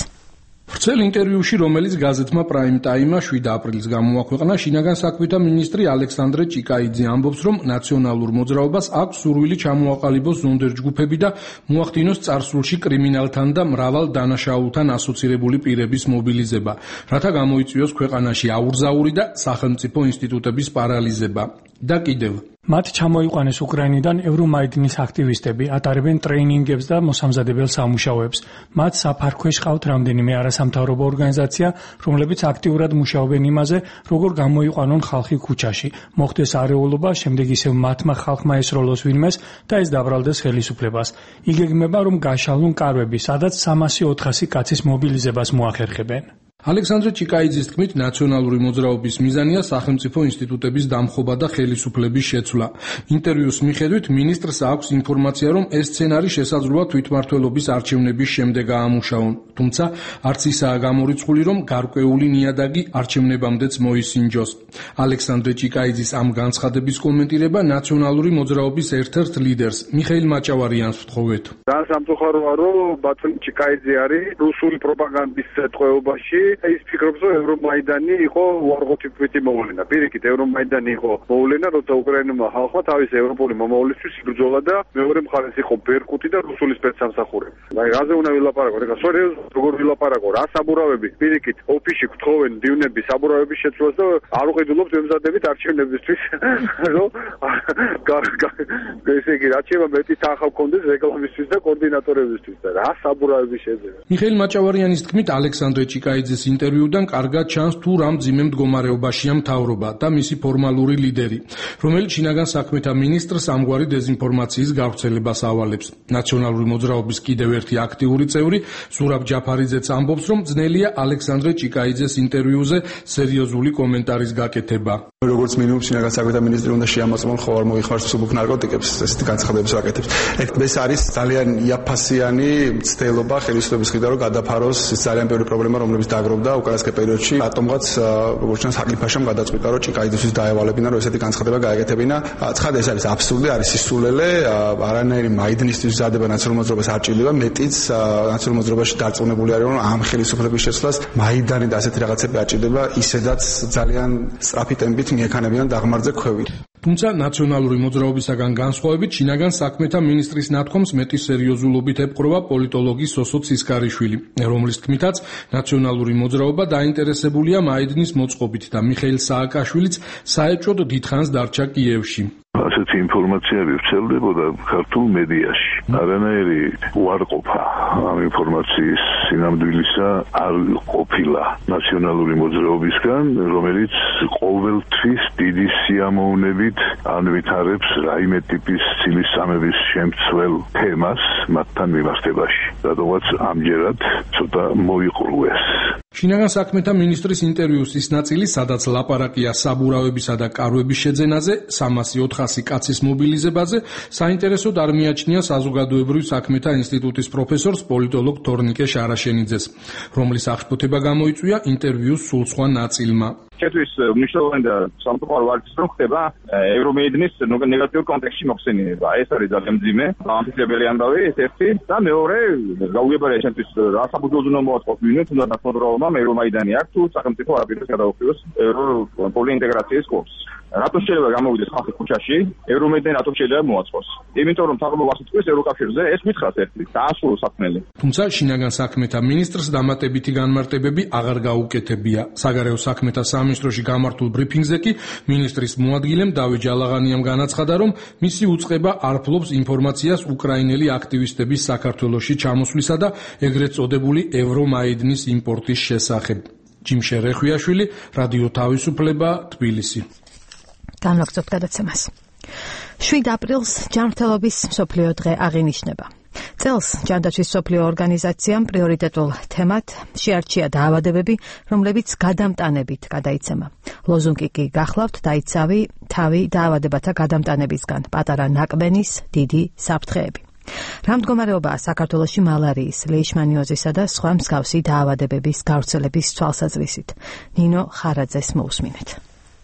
ვრცელ ინტერვიუში, რომელიც გაზეთმა პრაიმ ტაიმმა შვიდ აპრილს გამოაქვეყნა, შინაგან საქმეთა მინისტრი ალექსანდრე ჭიკაიძე ამბობს, რომ ნაციონალურ მოძრაობას აქვს სურვილი ჩამოაყალიბოს ზონდერ ჯგუფები და მოახდინოს წარსულში კრიმინალთან და მრავალ დანაშაულთან ასოცირებული პირების მობილიზება, რათა გამოიწვიოს ქვეყანაში აურზაური და სახელმწიფო ინსტიტუტების პარალიზება. და კიდევ მათ ჩამოიყვანეს უკრაინიდან ევრომაიდნის აქტივისტები, ატარებენ ტრეინინგებს და მოსამზადებელ სამუშაოებს. მათ საფარქვეშ ყავთ რამდენიმე არასამთავრობო ორგანიზაცია, რომლებიც აქტიურად მუშაობენ იმაზე, როგორ გამოიყვანონ ხალხი ქუჩაში, მოხდეს არეულობა, შემდეგ ისევ მათმა ხალხმა ესროლოს ვინმეს და ეს დაბრალდეს ხელისუფლებას. იგეგმება, რომ გაშალონ კარვები, სადაც სამასი ოთხასი კაცის მობილიზებას მოახერხებენ. ალექსანდრე ჭიკაიძის თქმით, ნაციონალური მოძრაობის მიზანია სახელმწიფო ინსტიტუტების დამხობა და ხელისუფლების შეცვლა. ინტერვიუს მიხედვით, მინისტრს აქვს ინფორმაცია, რომ ეს სცენარი შესაძლოა თვითმმართველობის არჩევნების შემდეგ აამუშაონ. თუმცა, არც ისაა გამორიცხული, რომ გარკვეული ნიადაგი არჩევნებამდეც მოისინჯოს. ალექსანდრე ჭიკაიძის ამ განცხადების კომენტირება ნაციონალური მოძრაობის ერთ-ერთ ლიდერს, მიხეილ მაჭავარიანს ვთხოვეთ. ძალიან სამწუხაროა, რომ ბატონი ჭიკაიძე არის რუსული პროპაგანდის ტყვეობაში. ის ფიქრობს, რომ ევრომაიდანი იყო უარყოფითი მოვლენა. პირიქით, ევრომაიდანი იყო მოვლენა, როცა უკრაინულმა ხალხმა თავის ევროპული მომავლისთვის იბრძოლა და მეორე მხარეს იყო ბერკუტი და რუსული სპეცსამსახურები. აი, რაზე უნდა ვილაპარაკოთ? ეხლა სერიოზულად როგორ ვილაპარაკო? რა საბურავები? პირიქით, ოფისში გთხოვენ დივნების საბურავების შეცვლას და არ უყიდულობთ ემზადებით არჩევნებისთვის, რომ ესე იგი, რაც შეება მეტი თანხა გქონდეს რეკლამისთვის და კოორდინატორებისთვის და რა საბურავები შეძება. მიხეილ მაჭავარიანის თქმით, ალექსანდრე ჭიკაიძეს ინტერვიუდან კარგად ჩანს, თუ რა მძიმე მდგომარეობაშია მთავრობა და მისი ფორმალური ლიდერი, რომელიც შინაგან საქმეთა მინისტრს ამგვარი დეზინფორმაციის გავრცელებას ავალებს. ნაციონალური მოძრაობის კიდევ ერთი აქტიური წევრი, ზურაბ ჯაფარიძეც ამბობს, რომ ძნელია ალექსანდრე ჭიკაიძეს ინტერვიუზე სერიოზული კომენტარის გაკეთება. როგორც მინიმუმ შინაგან საქმეთა მინისტრი უნდა შეამოწმონ ხო არ მოიხმაროს მსუბუქ ნარკოტიკებს, ესეთი განცხადების ვაკეთებს. ეს არის ძალიან იაფასიანი მცდელობა ხელისუფლების მხრიდან, რომ გადაფაროს ძალიან ბევრი პრობლემა, რომლებიც დაგროვდა უკანასკნელ პერიოდში. რატომღაც როგორც ჩანს აკიფაშამ გადაწყვიტა, რომ ჭიკაიძესთვის დაევალებინა, რომ ესეთი განცხადება გააკეთებინა. ცხადია, ეს არის აბსურდი, არის სისულელე, არანაირი მაიდნისთვის მზადება ნაციონალურ მოძრაობას არ ჭირდება, მეტიც ნაციონალურ მოძრაობაში დარწმუნებული არის, რომ ამ ხელისუფლების შეცვლას მაიდანი და ასეთი რაღაცები არ ჭირდება, ისედაც ძალიან სწრაფი ტემპით მიექანებიან დაღმართზე ქვევით. თუმცა ნაციონალური მოძრაობისაგან განსხვავებით, შინაგან საქმეთა მინისტრის ნათქვამს მეტი სერიოზულობით ეპყრობა პოლიტოლოგი სოსო ცისკარიშვილი, რომლის თქმითაც ნაციონალური მოძრაობა დაინტერესებულია მაიდნის მოწყობით და მიხეილ სააკაშვილიც საეჭვოდ დიდხანს დარჩა კიევში. ასეთი ინფორმაციები ვრცელდებოდა ქართულ მედიაში. არანაირი უარყოფა ამ ინფორმაციის სინამდვილისა არ ყოფილა ნაციონალური მოძრაობისგან, რომელიც ყოველთვის დიდი სიამოვნებით ანვითარებს რაიმე ტიპის ცილისწამების შემცველ თემას მათთან მიმართებაში. რადგანაც ამჯერად ცოტა მოიყრუეს. შინაგან საქმეთა მინისტრის ინტერვიუს ის ნაწილი, სადაც ლაპარაკია საბურავებისა და კარვების შეძენაზე, სამასი ოთხასი კაცის მობილიზებაზე, საინტერესოდ არ მიაჩნია საზოგადოებრივ საქმეთა ინსტიტუტის პროფესორს პოლიტოლოგ თორნიკე შარაშენიძეს, რომლის აღშფოთება გამოიწვია ინტერვიუს სულ სხვა ნაწილმა. Четверть მნიშვნელოვანი და სამწუხარო არის რომ ხდება ევრომედნის ნეგატიურ კონტექსტში მოხსენიება. ეს არის ძალიან მძიმე, ამფრთხილებელი ამბავი ეს ერთი და მეორე გაუგებარია ჩემთვის რა საბრძოლო უნდა მოაწყოს ვინმე თუნდაც ნაცნობრალმა ევრომაიდანი აქვს თუ სახელმწიფო არაფერს გადაუხდოს ევროპული ინტეგრაციის კურსს. რატომ შეიძლება გამოვიდეს ხალხი ქუჩაში, ევრომედნი რატომ შეიძლება მოაწყოს? იმიტომ რომ თაღლოვას იტყვის ევროკავშირზე, ეს მითხრას ერთი, დაასრულო საქმელი. თუმცა შინაგან საქმეთა მინისტრს დამატებითი განმარტებები აღარ გაუკეთებია. საგარეო საქმეთა სამინისტროში გამართულ ბრიფინგზე კი მინისტრის მოადგილემ დავით ჯალაღანიამ განაცხადა, რომ მისი უწყება არ ფლობს ინფორმაციას უკრაინელი აქტივისტების საქართველოში ჩამოსვლისა და ეგრეთ წოდებული ევრომაიდნის იმპორტის შესახებ. ჯიმშე რეხვიაშვილი, რადიო თავისუფლება, თბილისი. განვაგრძობთ გადაცემას. შვიდ აპრილს ჯანმრთელობის მსოფლიო დღე აღინიშნება. წელს ჯანდაცვის მსოფლიო ორგანიზაციამ პრიორიტეტულ თემად შეარჩია დაავადებები, რომლებიც გადამტანებით გადაიცემა. ლოზუნგი კი გახლავთ დაიცავი თავი დაავადებათა გადამტანებისგან, პატარა ნაკბენის დიდი საფრთხეები. რა მდგომარეობაა საქართველოში მალარიის, ლეიშმანიოზისა და სხვა მსგავსი დაავადებების გავრცელების თვალსაზრისით? ნინო ხარაძეს მოусმინეთ.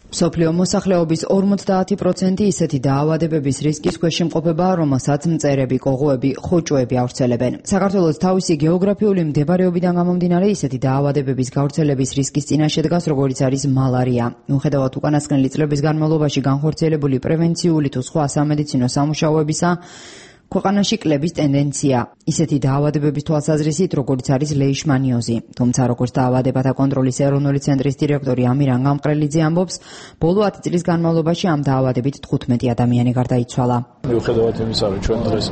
მსოფლიო მოსახლეობის ორმოცდაათი პროცენტი ისეთი დაავადებების რისკის ქვეშ იმყოფება, რომელსაც მწერები, კოღოები, ხოჭოები ავრცელებენ. საქართველოს თავისი გეოგრაფიული მდებარეობიდან გამომდინარე ისეთი დაავადებების გავრცელების რისკის წინაშე დგას, როგორიც არის მალარია. მიუხედავად უკანასკნელი წლების განმავლობაში განხორციელებული პრევენციული თუ სხვა სამედიცინო სამუშაოებისა, ქვეყანაში კლების ტენდენცია ისეთი დაავადებების თვალსაზრისით, როგორც არის ლეიშმანიოზი. თუმცა, როგორც დაავადებათა კონტროლის ეროვნული ცენტრის დირექტორი ამირან გამყრელიძე ამბობს, ბოლო ათი წლის განმავლობაში ამ დაავადებით თხუთმეტი ადამიანი გარდაიცვალა. მიუხედავად იმისა, რომ ჩვენ დღეს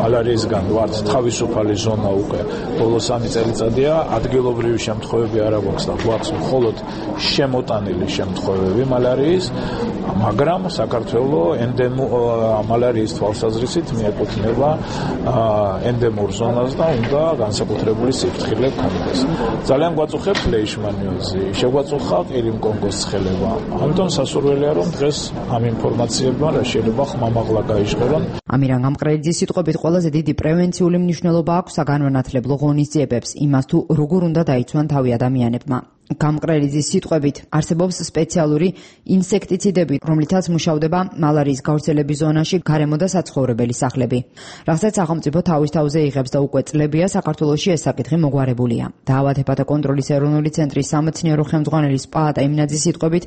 მალარიისგან ვართ თავისუფალი ზონა უკვე ბოლო სამი წელიწადია, ადგილობრივი შემთხვევები არ აქვს და გვაქვს მხოლოდ შემოტანილი შემთხვევები მალარიის, მაგრამ საქართველოს ენდემო მალარიის თვალსაზრისით მიეკუთვნება ენდემურ ზონას და უნდა განსაკუთრებული სიფრთხილე გქონდეს. ძალიან გვაწუხებს ლეიშმანიოზი, შეგვაწუხა ყირიმკონგოს ცხელება. ამიტომ სასურველია, რომ დღეს ამ ინფორმაციებმა რა შეიძლება ხმამაღლა გაიჟღერონ. ამირან გამყრელიძის სიტყვებით ყველაზე დიდი პრევენციული მნიშვნელობა აქვს საგანმანათლებლო ღონისძიებებს, იმას თუ როგორ უნდა დაიცვან თავი ადამიანებმა. გამყრელიძის სიტყვებით არსებობს სპეციალური ინსექტიციდები, რომლითაც მუშავდება მალარიის გავრცელების ზონაში გარემო და საცხოვრებელი სახლები. რასაც სახელმწიფო თავის თავზე იღებს და უკვე წლებია საქართველოში ეს საკითხი მოგვარებულია. დაავადებათა კონტროლის ეროვნული ცენტრის სამეცნიერო ხელმძღვანელი სპაატა იმნაძის სიტყვებით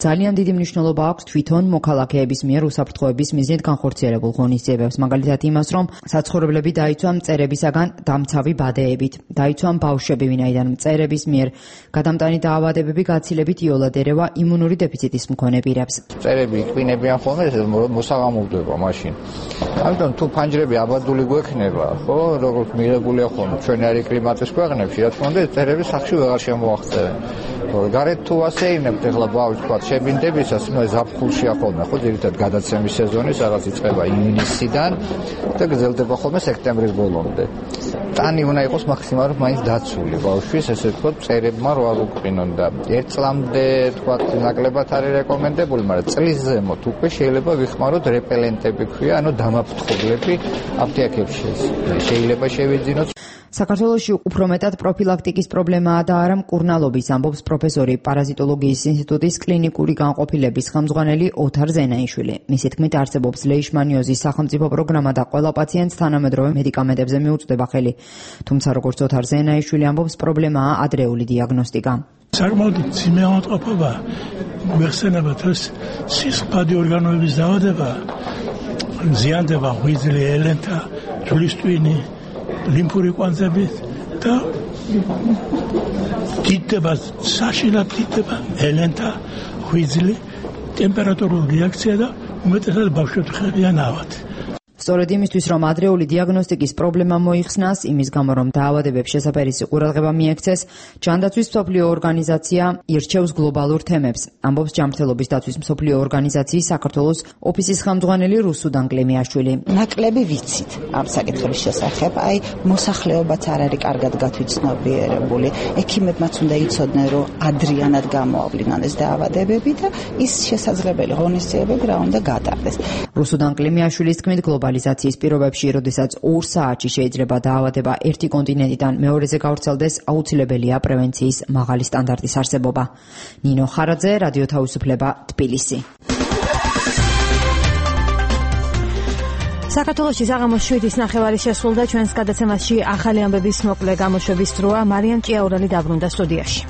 ძალიან დიდი მნიშვნელობა აქვს თვითონ მოქალაქეების მიერ უსაფრთხოების მიზნით განხორციელებულ ღონისძიებებს, მაგალითად იმას, რომ საცხოვრებლები დაიცვან მწერებისაგან დამცავი ბადეებით, დაიცვან ბავშვები, ვინაიდან მწერების მიერ გადამტანი დაავადებები გაცილებით იოლად ერევა იმუნური დეფიციტის მქონე პირებს. მწერები იყინებიან ხოლმე მოსაღამოვდება მაშინ. ამიტომ თუ ფანჯრები აბადული გვექნება, ხო, როგორც მიღებულია ხოლმე ჩვენი არი კლიმატის ქვეყნებში, რა თქმა უნდა, მწერები სახში ვეღარ შემოაღწევენ. გარეთ თუ ასე ინებთ ახლა ბავშვს თქვა შებინდებისას, ნუ ზაფხულშია ხოლმე, ხო, ძირითადად გადაცემის სეზონი, სადაც იწყება ივნისიდან და გრძელდება ხოლმე სექტემბრის ბოლომდე. ტანი უნდა იყოს მაქსიმალურად მაინც დაცული ბავშვის, ესე ვთქვათ, მწერებმა რო არ უყინონ და ერთ წლამდე თქვა ნაკლებად არის რეკომენდებული, მაგრამ წლის ზემოთ უკვე შეიძლება ვიხმაროთ რეპელენტები ქვია, ანუ დამაფრთხობლები აფთიაქებში შეიძლება შევიძინოთ. საქართველოში უფრო მეტად პროფილაქტიკის პრობლემაა და არა მკურნალობის, ამბობს პროფესორი პარაზიტოლოგიის ინსტიტუტის კლინიკური განყოფილების ხელმძღვანელი ოთარ ზენაიშვილი. მისი თქმით, არსებობს ლეიშმანიოზის სახელმწიფო პროგრამა და ყველა პაციენტს თანამედროვე მედიკამენტებზე მიუწვდება ხელი. თუმცა, როგორც ოთარ ზენაიშვილი ამბობს, პრობლემაა ადრეული დიაგნოსტიკა. საკმაოდ მძიმე ავადმყოფობა გვეხსენება თოს სისხლდადი ორგანოების დაავადება, ზიანდება ღვიძლი, ელენთა, ჯვრის ტვინი, ლიმფური კვანძები და დიდდება, საშინლად დიდდება ელენთა, ღვიძლი, ტემპერატურული რეაქცია და უმეტესად ბავშვები ხდებიან ავად. სწორედ იმისთვის, რომ ადრეული დიაგნოსტიკის პრობლემა მოიხსნას, იმის გამო, რომ დაავადებებს შესაფერისი ყურადღება მიექცეს, ჯანდაცვის მსოფლიო ორგანიზაცია ირჩევს გლობალურ თემებს. ამბობს ჯანმრთელობის დაცვის მსოფლიო ორგანიზაციის საქართველოს ოფისის ხელმძღვანელი რუსუდან კლიმიაშვილი. ნაკლები ვიცით ამ საკითხების შესახებ, აი მოსახლეობაც არ არის კარგად გათვითცნობიერებული. ექიმებმაც უნდა იცოდნენ, რომ ადრიანად გამოავლინონ ეს დაავადებები და ის შესაძლებელი ღონისძიებები რა უნდა გატარდეს. რუსუდან კლიმიაშვილის თქმით, გლობალიზაციის პირობებში, როდესაც ორ საათში შეიძლება დაავადება ერთი კონტინენტიდან მეორეზე გავრცელდეს, აუცილებელია პრევენციის მაღალი სტანდარტის არსებობა. ნინო ხარაძე, რადიო თავისუფლება, თბილისი. საქართველოში საღამოს შვიდის ნახევარი შესრულდა, ჩვენს გადაცემაში ახალი ამბების მოკლე გამოშვების დროა. მარიამ ჭიაურელი დაბრუნდა სტუდიაში.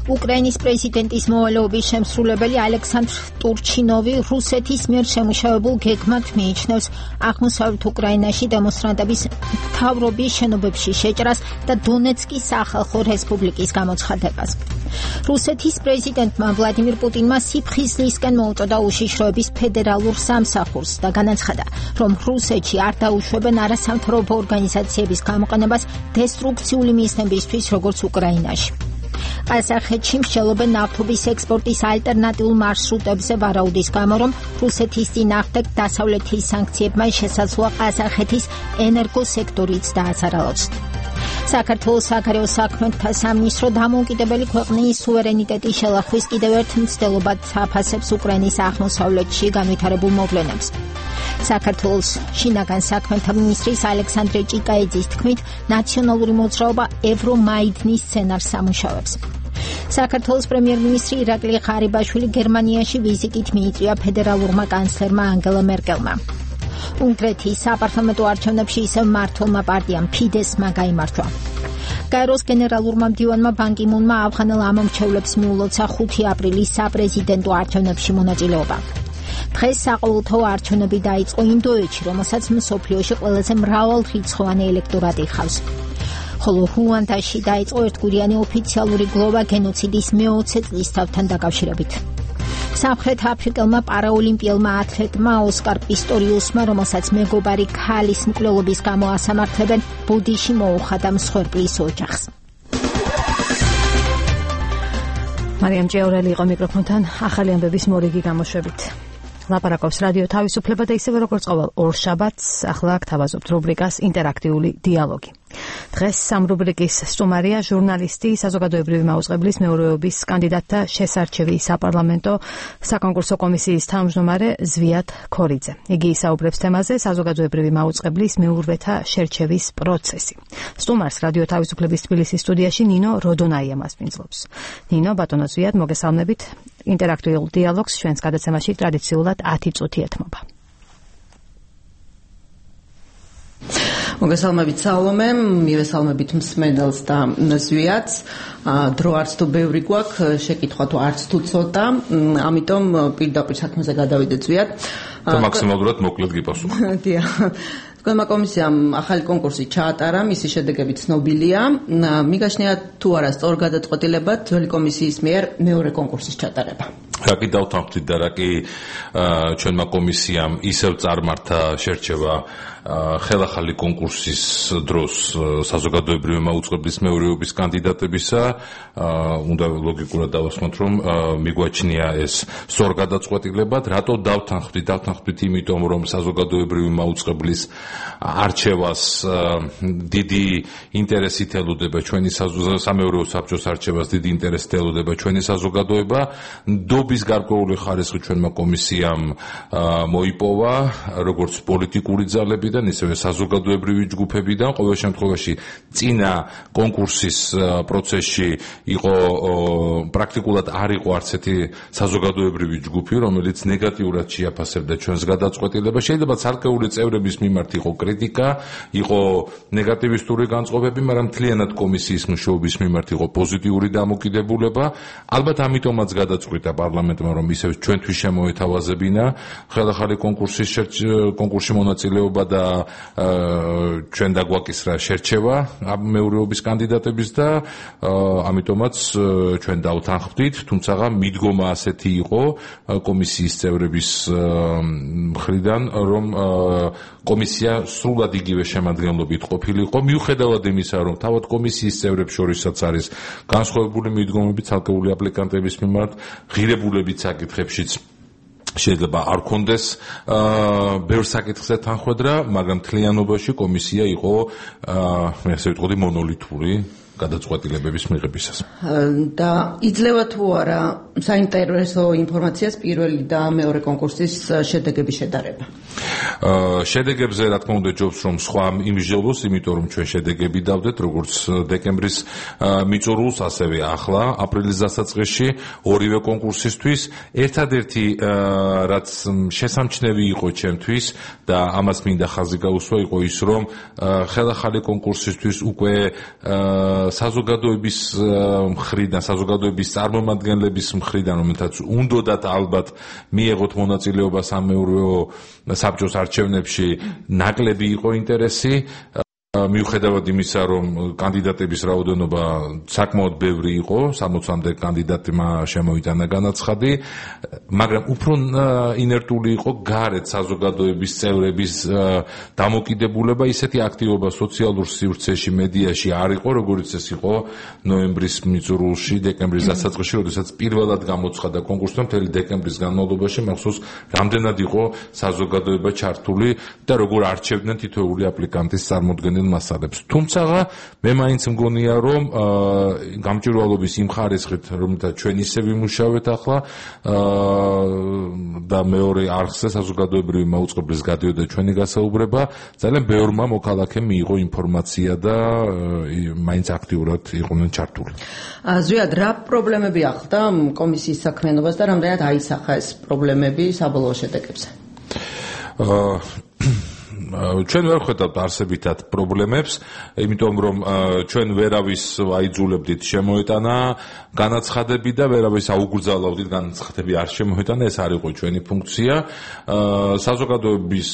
უკრაინის პრეზიდენტის მოვალეობის შემსრულებელი ალექსანდრ ტურჩინოვი რუსეთის მიერ შემუშავებულ გეგმად მიიჩნევს აღმოსავლეთ უკრაინაში დემონსტრანტების მთავრობის შენობებში შეჭრას და დონეცკის სახალხო რესპუბლიკის გამოცხადებას. რუსეთის პრეზიდენტმა ვლადიმირ პუტინმა სიფხიზლისკენ მოუწოდა უშიშროების ფედერალურ სამსახურს და განაცხადა, რომ რუსეთში არ დაუშვებენ არასამთავრობო ორგანიზაციების გამოყენებას დესტრუქციული მიზნებისთვის, როგორც უკრაინაში. ყაზახეთში მსჯელობენ ნავთობის ექსპორტის ალტერნატიულ მარშრუტებზე ვარაუდის გამო, რომ რუსეთის წინააღმდეგ დასავლეთის სანქციებმა შესაძლოა ყაზახეთის ენერგოსექტორიც დააზარალოს. საქართველოს საგარეო საქმეთა სამინისტრო დამოუკიდებელი ქვეყნის სუვერენიტეტის შელახვის კიდევ ერთ მცდელობად აფასებს უკრაინის აღმოსავლეთში განვითარებულ მოვლენებს. საქართველოს შინაგან საქმეთა მინისტრის ალექსანდრე ჭიკაიძის თქმით, ნაციონალური მოძრაობა ევრომაიდნის სცენარს ამუშავებს. საქართველოს პრემიერ-მინისტრი ირაკლი ღარიბაშვილი გერმანიაში ვიზიტით მიიწვია ფედერალურმა კანცლერმა ანგელა მერკელმა. უნგრეთის საპარლამენტო არჩევნებში ისევ მმართველმა პარტიამ ფიდესმა გაიმარჯვა. გაეროს გენერალურმა მდივანმა ბან კი მუნმა ავღანელ ამომრჩევლებს მიულოცა ხუთი აპრილის საპრეზიდენტო არჩევნებში მონაწილეობა. დღეს საყოველთაო არჩევნები დაიწყო ინდოეთში, რომელსაც მსოფლიოში ყველაზე მრავალრიცხოვანი ელექტორატი ჰყავს. ხოლო რუანდაში დაიწყო ერთგვარიანი ოფიციალური გლოვა გენოციდის მეოცე წლისთავთან დაკავშირებით. სამხრეთ აფრიკელმა პარაოლიმპიელმა ათლეტმა ოსკარ პისტორიუსმა, რომელსაც მეგობარი ქალის მკვლელობის გამო ასამართლებენ, ბოდიში მოუხადა მსხვერპლის ოჯახს. მარიამ ჭიაურელი იყო მიკროფონთან ახალი ამბების მორიგი გამოშვებით. ლაპარაკობს რადიო თავისუფლება და ისევე როგორც ყოველ ორშაბათს ახლა გთავაზობთ რუბრიკას ინტერაქტიული დიალოგი. დღეს სამ რუბრიკის სტუმარია ჟურნალისტი, საზოგადოებრივი მაუწყებლის მეურვეობის კანდიდატთა შესარჩევი საპარლამენტო საკონკურსო კომისიის თავმჯდომარე ზვიად ქორიძე. იგი ისაუბრებს თემაზე საზოგადოებრივი მაუწყებლის მეურვეთა შერჩევის პროცესი. სტუმარს რადიო თავისუფლების თბილისის სტუდიაში ნინო როდონაია მასპინძლობს. ნინო, ბატონო ზვიად, მოგესალმებით. ინტერაქტიულ დიალოგს ჩვენს გადაცემაში ტრადიციულად ათი წუთი ეთმობა. მოგესალმებით სალომე, მივესალმებით მსმენელს და ზვიადს. დრო არც თუ ბევრი გვაქვს, შეკითხვა თუ არც თუ ცოტა, ამიტომ პირდაპირ საქმეზე გადავიდეთ ზვიად. და მაქსიმალურად მოკლედ გიპასუხო. დიახ. თქვენმა კომისიამ ახალი კონკურსი ჩაატარა, მისი შედეგები ცნობილია. მიგაშნია თუ არა სწორ გადაწყვეტილებად ძველი კომისიის მიერ მეორე კონკურსის ჩატარება. რა კი დავთანხმდით და რა კი ჩვენმა კომისიამ ისევ წარმართა შერჩევა ხელახალი კონკურსის დროს საზოგადოებრივი მაუწყებლის მეურვეობის კანდიდატებისა, უნდა ლოგიკურად დავასმოთ, რომ მიგვაჩნია ეს სწორ გადაწყვეტილებად. რატო დავთანხმდით? დავთანხმდით იმიტომ, რომ საზოგადოებრივი მაუწყებლის არჩევას დიდი ინტერესით ელოდება ჩვენი სამეურვეო საბჭოს არჩევას დიდი ინტერესით ელოდება ჩვენი საზოგადოება. დობის გარკვეული ხარისხი ჩვენმა კომისიამ მოიპოვა, როგორც პოლიტიკური ძალებიდან, ისევე საზოგადოებრივი ჯგუფებიდან. ყოველ შემთხვევაში წინა კონკურსის პროცესში იყო პრაქტიკულად არ იყო არც ერთი საზოგადოებრივი ჯგუფი, რომელიც ნეგატიურად შეაფასებდა ჩვენს გადაწყვეტილებას. შეიძლება ცალკეული წევრების მიმართ იყო კრიტიკა, იყო ნეგატივისტური განწყობები, მაგრამ მთლიანად კომისიის მუშაობის მიმართ იყო პოზიტიური დამოკიდებულება. ალბათ ამიტომაც გადაწყვიტა პარლამენტი პარლამენტმა რომ ისევ ჩვენთვის შემოეთავაზებინა ხელახალი კონკურსის კონკურსში მონაწილეობა და ჩვენ დაგვაკისრა შერჩევა მეურვეობის კანდიდატების და ამიტომაც ჩვენ დავთანხმდით, თუმცა მიდგომა ასეთი იყო კომისიის წევრების მხრიდან, რომ კომისია სრულად იგივე შემადგენლობით ყოფილიყო, მიუხედავად იმისა, რომ თავად კომისიის წევრებს შორისაც არის განსხვავებული მიდგომები ცალკეული აპლიკანტების მიმართ, ღირებულებით საკითხებშიც შეიძლება არ კონდეს ბევრ საკითხზე თანხმედრა, მაგრამ მთლიანობაში კომისია იყო, მე ასე ვიტყოდი, მონოლითური გადაწყვეტილებების მიღებისას. და იძლევა თუ არა საინტერესო ინფორმაციას პირველი და მეორე კონკურსის შედეგების შედარება? შედეგებზე რა თქმა უნდა ჯობს რომ სხვა იმსჯელოს, იმიტომ რომ ჩვენ შედეგები დავდეთ როგორც დეკემბრის მიწურულს, ასევე ახლა აპრილის დასაწყისში ორივე კონკურსისთვის. ერთადერთი რაც შესამჩნევი იყო ჩემთვის და ამას მინდა ხაზი გაუსვა იყო ის, რომ ხელახალი კონკურსისთვის უკვე საზოგადოების მხრიდან, საზოგადოების წარმომადგენლების მხრიდან, რომელთაც უნდათ ალბათ მიეღოთ მონაწილეობა სამეურვეო საბჭოს არჩევნებში, ნაკლები იყო ინტერესი. მიუხედავად იმისა, რომ კანდიდატების რაოდენობა საკმაოდ ბევრი იყო, სამოცამდე კანდიდატმა შემოიტანა განაცხადი, მაგრამ უფრო ინერტული იყო გარეთ საზოგადოების წევრების დამოკიდებულება, ისეთი აქტივობა სოციალურ სივრცეში, მედიაში არ იყო, როგორც ეს იყო ნოემბრის მიწურულში, დეკემბრის დასაწყისში, როდესაც პირველად გამოცხადა კონკურსი, მთელი დეკემბრის განმავლობაში მახსოვს, რამდენად იყო საზოგადოება ჩართული და როგორ არჩევდნენ თითოეული აპლიკანტის წარმოდგენილ მასალებს. თუმცა მე მაინც მგონია, რომ გამჭვირვალობის იმ ხარისხით, რომელთაც ჩვენ ისე ვიმუშავეთ ახლა და მეორე არხზე საზოგადოებრივი მაუწყებლის გადიოდა ჩვენი გასაუბრება, ძალიან ბევრმა მოქალაქემ მიიღო ინფორმაცია და მაინც აქტიურად იყვნენ ჩართული. ზვიად, რა პრობლემები ახლდა კომისიის საქმიანობას და რამდენად აისახა ეს პრობლემები საბოლოო შედეგებზე? ჩვენ ვერ ხედავთ არსებითად პრობლემებს, იმიტომ რომ ჩვენ ვერავის აიძულებდით შემოეტანა განაცხადები და ვერავის აუგრძალავდით განაცხადები არ შემოეტანა, ეს არ იყო ჩვენი ფუნქცია. საზოგადოების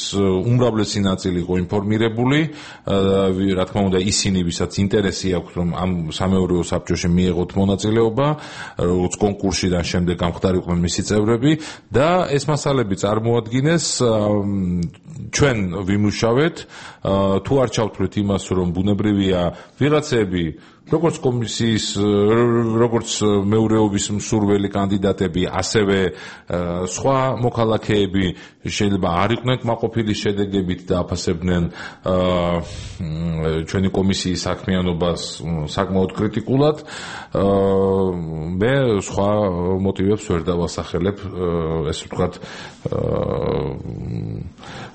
უმრავლესი ნაწილი იყო ინფორმირებული, რა თქმა უნდა ისინი, ვისაც ინტერესი აქვს, რომ ამ სამეურვეო საბჭოში მიეღოთ მონაწილეობა, როგორც კონკურსში და შემდეგ გამხდარიყვნენ მისი წევრები და ეს მასალები წარმოადგინეს. ჩვენ ვიმუშავეთ, თუ არ ჩავთვლით იმას, რომ ბუნებრივია ვიღაცები, როგორც კომისიის, როგორც მეურვეობის მსურველი კანდიდატები, ასევე სხვა მოქალაქეები შეიძლება არ იყვნენ კმაყოფილი შედეგებით და აფასებდნენ ჩვენი კომისიის საქმიანობას საკმაოდ კრიტიკულად. მე სხვა მოტივებს ვერ დავასახელებ, ესე ვთქვათ,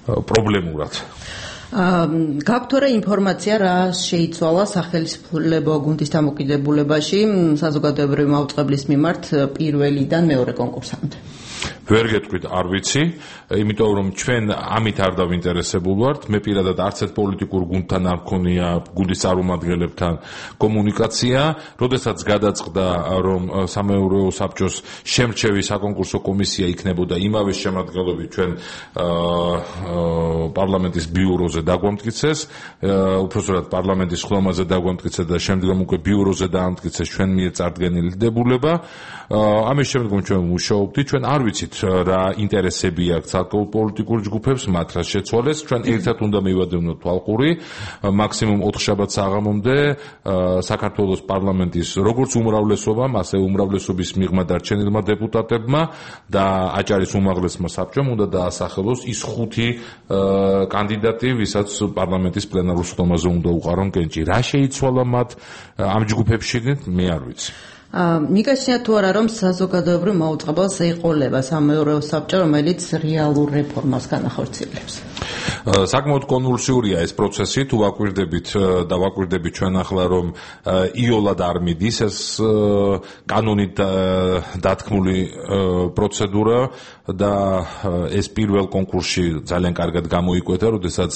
პრობლემურად. გაქვთ რა ინფორმაცია, რა შეიცვალა სახელმწიფო გუნდის დამოკიდებულებაში საზოგადოებრივი მაუწყებლის მიმართ პირველიდან მეორე კონკურსამდე? ვერ გეტყვით, არ ვიცი, იმიტომ რომ ჩვენ ამით არ დავინტერესებულ ვართ. მე პირადად არც ერთ პოლიტიკურ გუნდთან არ მქონია, გუნდის წარმომადგენლებთან კომუნიკაცია. როდესაც გადაწყდა, რომ სამეურვეო საბჭოს შემრჩევი საკონკურსო კომისია იქნებოდა იმავე შემადგენლობით, ჩვენ პარლამენტის ბიუროზე დაგვამტკიცეს, უпростоრად პარლამენტის ხლომაზე დაგვამტკიცეს და შემდგომ უკვე ბიუროზე დაამტკიცეს ჩვენ მიერ წარდგენილი დებულება. ამის შემდგომ ჩვენ ვმუშაობდით, ჩვენ არ ვიცით რა ინტერესები აქვს საკოლ პოლიტიკურ ჯგუფებს, მათ რა შეცვალეს. ჩვენ ერთად უნდა მივადევნოთ თვალყური, მაქსიმუმ ოთხ შაბათს საღამომდე საქართველოს პარლამენტის როგორც უმრავლესობამ, ასე უმრავლესობის მიღმა დარჩენილმა დეპუტატებმა და აჭარის უმაღლესმა საბჭომ უნდა დაასახელოს ის ხუთი კანდიდატი, ვისაც პარლამენტის პლენარულ ხდომაზე უნდა უყარონ კენჭი. რა შეიცვალა მათ ამ ჯგუფებში, მე არ ვიცი. მიგაცნია თუ არა, რომ საზოგადოებრივ მაუწყებელს ეყოლება სამეურვეო საბჭო, რომელიც რეალურ რეფორმას განახორციელებს? საკმაოდ კონვულსიურია ეს პროცესი, თუ ვაკვირდებით და ვაკვირდებით ჩვენ ახლა რომ იოლად არ მიდის ეს კანონით დათქმული პროცედურა და ეს პირველ კონკურსში ძალიან კარგად გამოიკვეთა, როდესაც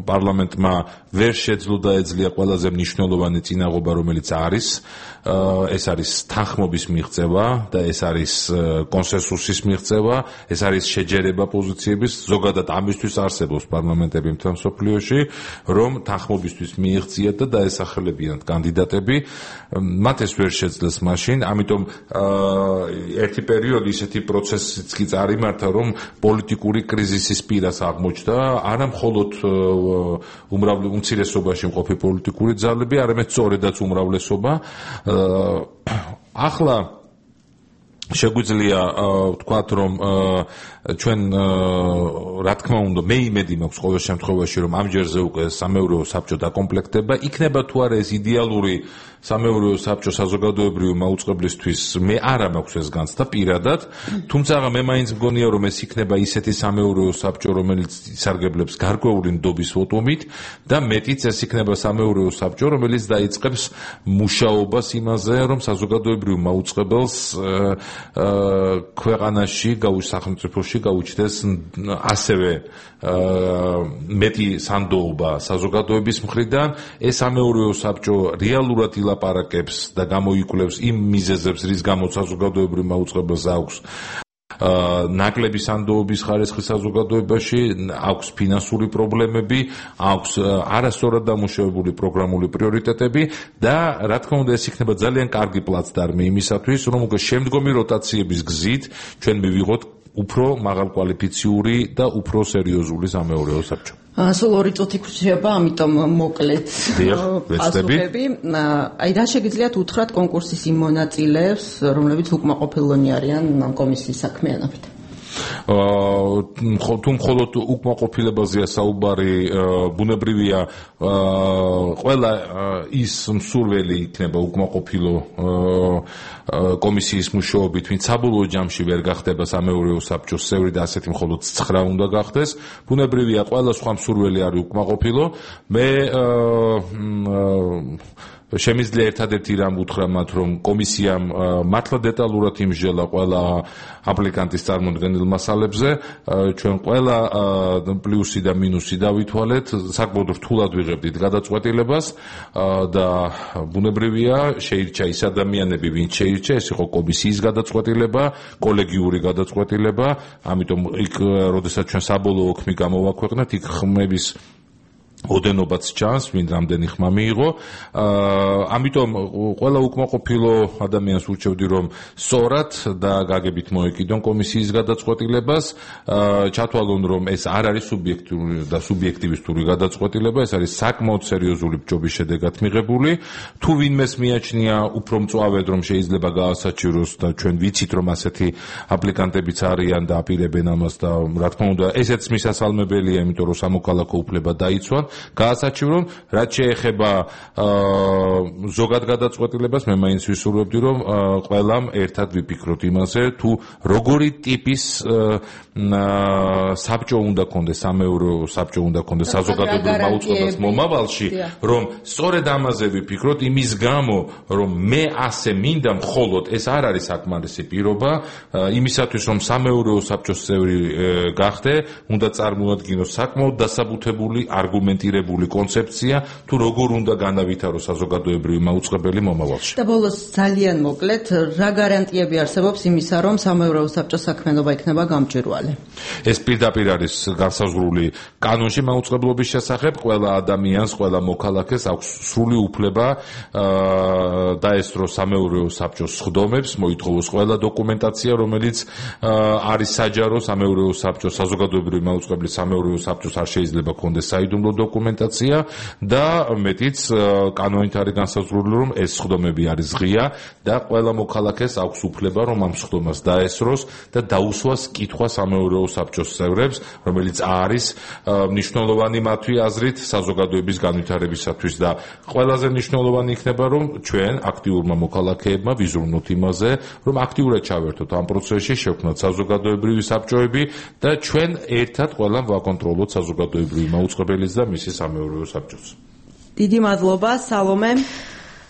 პარლამენტმა ვერ შეძლო დაეძლია ყველაზე მნიშვნელოვანი წინაღობა, რომელიც არის, ეს არის თანხმობის მიღწევა და ეს არის კონსენსუსის მიღწევა, ეს არის შეჯერება პოზიციების, ზოგადად ამისთვის არსებობს პარლამენტები მთელ მსოფლიოში, რომ თანხმობისთვის მიიღწიათ და დაესახელებინათ კანდიდატები, მათ ეს ვერ შეძლეს მაშინ, ამიტომ ერთი პერიოდი ისეთი პროცესიც კი წარიმართა, რომ პოლიტიკური კრიზისის პირას აღმოჩნდა, არა მხოლოდ უმცირესობაში მყოფი პოლიტიკური ძალები, არამედ სწორედაც უმრავლესობა. ახლა შეგვიძლია ვთქვათ, რომ ჩვენ რა თქმა უნდა მე იმედი მაქვს ყოველ შემთხვევაში, რომ ამჯერზე უკვე სამეურვეო საბჭო დაკომპლექტდება, იქნება თუ არა ეს იდეალური სამეურვეო საბჭო საზოგადოებრივი მაუწყებლისთვის, მე არა მაქვს ეს განცდა პირადად, თუმცა მე მაინც მგონია, რომ ეს იქნება ისეთი სამეურვეო საბჭო, რომელიც ისარგებლებს გარკვეული ნდობის ვოტომით და მეტიც ეს იქნება სამეურვეო საბჭო, რომელიც დაიწყებს მუშაობას იმაზე, რომ საზოგადოებრივ მაუწყებელს ქვეყანაში სახელმწიფოში გაუჩნდეს ასევე მეტი სანდოობა საზოგადოების მხრიდან, ეს სამეურვეო საბჭო რეალურად ილაპარაკებს და გამოიკვლევს იმ მიზეზებს, რის გამოც საზოგადოებრივ მაუწყებელს აქვს ნაკლები სანდოობის ხარისხი საზოგადოებაში, აქვს ფინანსური პრობლემები, აქვს არასწორად დამუშავებული პროგრამული პრიორიტეტები და რა თქმა უნდა ეს იქნება ძალიან კარგი პლაცდარმი იმისათვის, რომ უკვე შემდგომი როტაციების გზით ჩვენ მივიღოთ უფრო მაღალკვალიფიციური და უფრო სერიოზული სამეურვეო საბჭო. სულ ორი წუთი გვჭირდება, ამიტომ მოკლედ პასუხები. აი რა შეგიძლიათ უთხრათ კონკურსის იმ მონაწილეებს, რომლებიც უკმაყოფილონი არიან ამ კომისიის საქმიანობით? თუ მხოლოდ უკმაყოფილებაზეა საუბარი, ბუნებრივია ყველა ის მსურველი იქნება უკმაყოფილო კომისიის მუშაობით, ვინც საბოლოო ჯამში ვერ გახდება სამეურვეო საბჭოს წევრი და ასეთი მხოლოდ ცხრა უნდა გახდეს. ბუნებრივია ყველა სხვა მსურველი არის უკმაყოფილო. მე შემიძლია ერთადერთი რამ უთხრა მათ, რომ კომისიამ მართლა დეტალურად იმსჯელა ყველა აპლიკანტის წარმოდგენილ მასალებზე, ჩვენ ყველა პლუსი და მინუსი დავითვალეთ, საკმაოდ რთულად ვიღებდით გადაწყვეტილებას და ბუნებრივია შეირჩა ის ადამიანები, ვინც შეირჩა, ეს იყო კომისიის გადაწყვეტილება, კოლეგიური გადაწყვეტილება, ამიტომ იქ როდესაც ჩვენ საბოლოო ხმი გამოვაქვეყნეთ, იქ ხმების ოდენობაც ჩანს, ვინ რამდენი ხმა მიიღო. ამიტომ ყველა უკმაყოფილო ადამიანს ურჩევდი, რომ სწორად და გაგებით მოეკიდონ კომისიის გადაწყვეტილებას, ჩათვალონ, რომ ეს არ არის სუბიექტური და სუბიექტივისტური გადაწყვეტილება, ეს არის საკმაოდ სერიოზული ბჭობის შედეგად მიღებული. თუ ვინმეს მიაჩნია უფრო მწვავედ, რომ შეიძლება გაასაჩივროს და ჩვენ ვიცით, რომ ასეთი აპლიკანტებიც არიან და აპირებენ ამას და რა თქმა უნდა, ესეც მისასალმებელია, იმიტომ რომ სამოქალაქო უფლება დაიცვან. გაასაჩივრონ, რაც შეეხება ზოგად გადაწყვეტილებას, მე მაინც ვისურვებდი, რომ ყველამ ერთად ვიფიქროთ იმაზე, თუ როგორი ტიპის საბჭო უნდა კონდეს, სამეურვეო საბჭო უნდა კონდეს საზოგადოებრივ მაუწყებლობას მომავალში, რომ სწორედ ამაზე ვიფიქროთ, იმის გამო, რომ მე ასე მინდა, მხოლოდ ეს არ არის საკმარისი პირობა, იმისათვის, რომ სამეურვეო საბჭოს წევრი გახდე, უნდა წარმოადგინოს საკმაოდ დასაბუთებული არგუმენტი კონცეფცია, თუ როგორ უნდა განავითარო საზოგადოებრივი მაუწყებელი მომავალში. და ბოლოს ძალიან მოკლედ, რა გარანტიები არსებობს იმისა, რომ სამეურვეო საბჭოს საქმიანობა იქნება გამჭვირვალე? ეს პირდაპირ არის განსაზღვრული კანონში მაუწყებლობის შესახებ, ყველა ადამიანს, ყველა მოქალაქეს აქვს სრული უფლება დაესწროს სამეურვეო საბჭოს სხდომებს, მოითხოვოს ყველა დოკუმენტაცია, რომელიც არის საჯარო სამეურვეო საბჭოს, საზოგადოებრივი მაუწყებლის სამეურვეო საბჭოს არ შეიძლება ქონდეს საიდუმლო დოკუმენტაცია. დოკუმენტაცია და მეტიც კანონით არის განსაზღვრული, რომ ეს სხდომები არის ღია და ყველა მოქალაქეს აქვს უფლება, რომ ამ სხდომას დაესროს და დაუსვას კითხვა სამეურვეო საბჭოს წევრებს, რომელიც არის მნიშვნელოვანი მათი აზრით საზოგადოების განვითარებისათვის და ყველაზე მნიშვნელოვანი იქნება, რომ ჩვენ აქტიურმა მოქალაქეებმა ვიზრუნოთ იმაზე, რომ აქტიურად ჩავერთოთ ამ პროცესში, შევქმნათ საზოგადოებრივი საბჭოები და ჩვენ ერთად ყველა ვაკონტროლოთ საზოგადოებრივი მაუწყებელიც და მისი სამეურვეო საბჭოს. დიდი მადლობა, სალომე.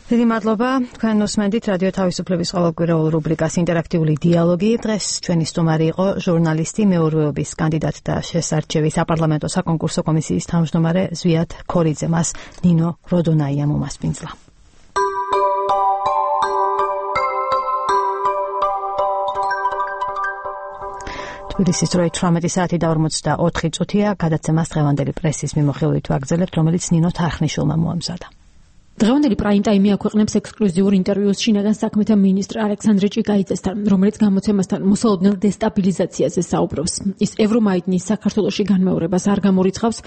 დიდი მადლობა. თქვენ უსმენთ რადიო თავისუფლების ყოველკვირეულ რუბრიკას ინტერაქტიული დიალოგი. დღეს ჩვენი სტუმარი იყო ჟურნალისტი, მეურვეობის კანდიდატი და შესარჩევი საპარლამენტო საკონკურსო კომისიის თავმჯდომარე ზვიად ქორიძე. მას ნინო როდონაია მომასპინძლა. თბილისის დროით თვრამეტი საათი და ორმოცდაოთხი წუთია. გადაცემას დღევანდელი პრესის მიმოხილვით ვაგრძელებთ, რომელიც ნინო თარხნიშვილმა მოამზადა. დღევანდელი პრაიმ ტაიმი აქვეყნებს ექსკლუზიურ ინტერვიუს შინაგან საქმეთა მინისტრ ალექსანდრე ჭიკაიძესთან, რომელიც გამოცემასთან მოსალოდნელ დესტაბილიზაციაზე საუბრობს. ის ევრომაიდნის საქართველოში განმეორებას არ გამორიცხავს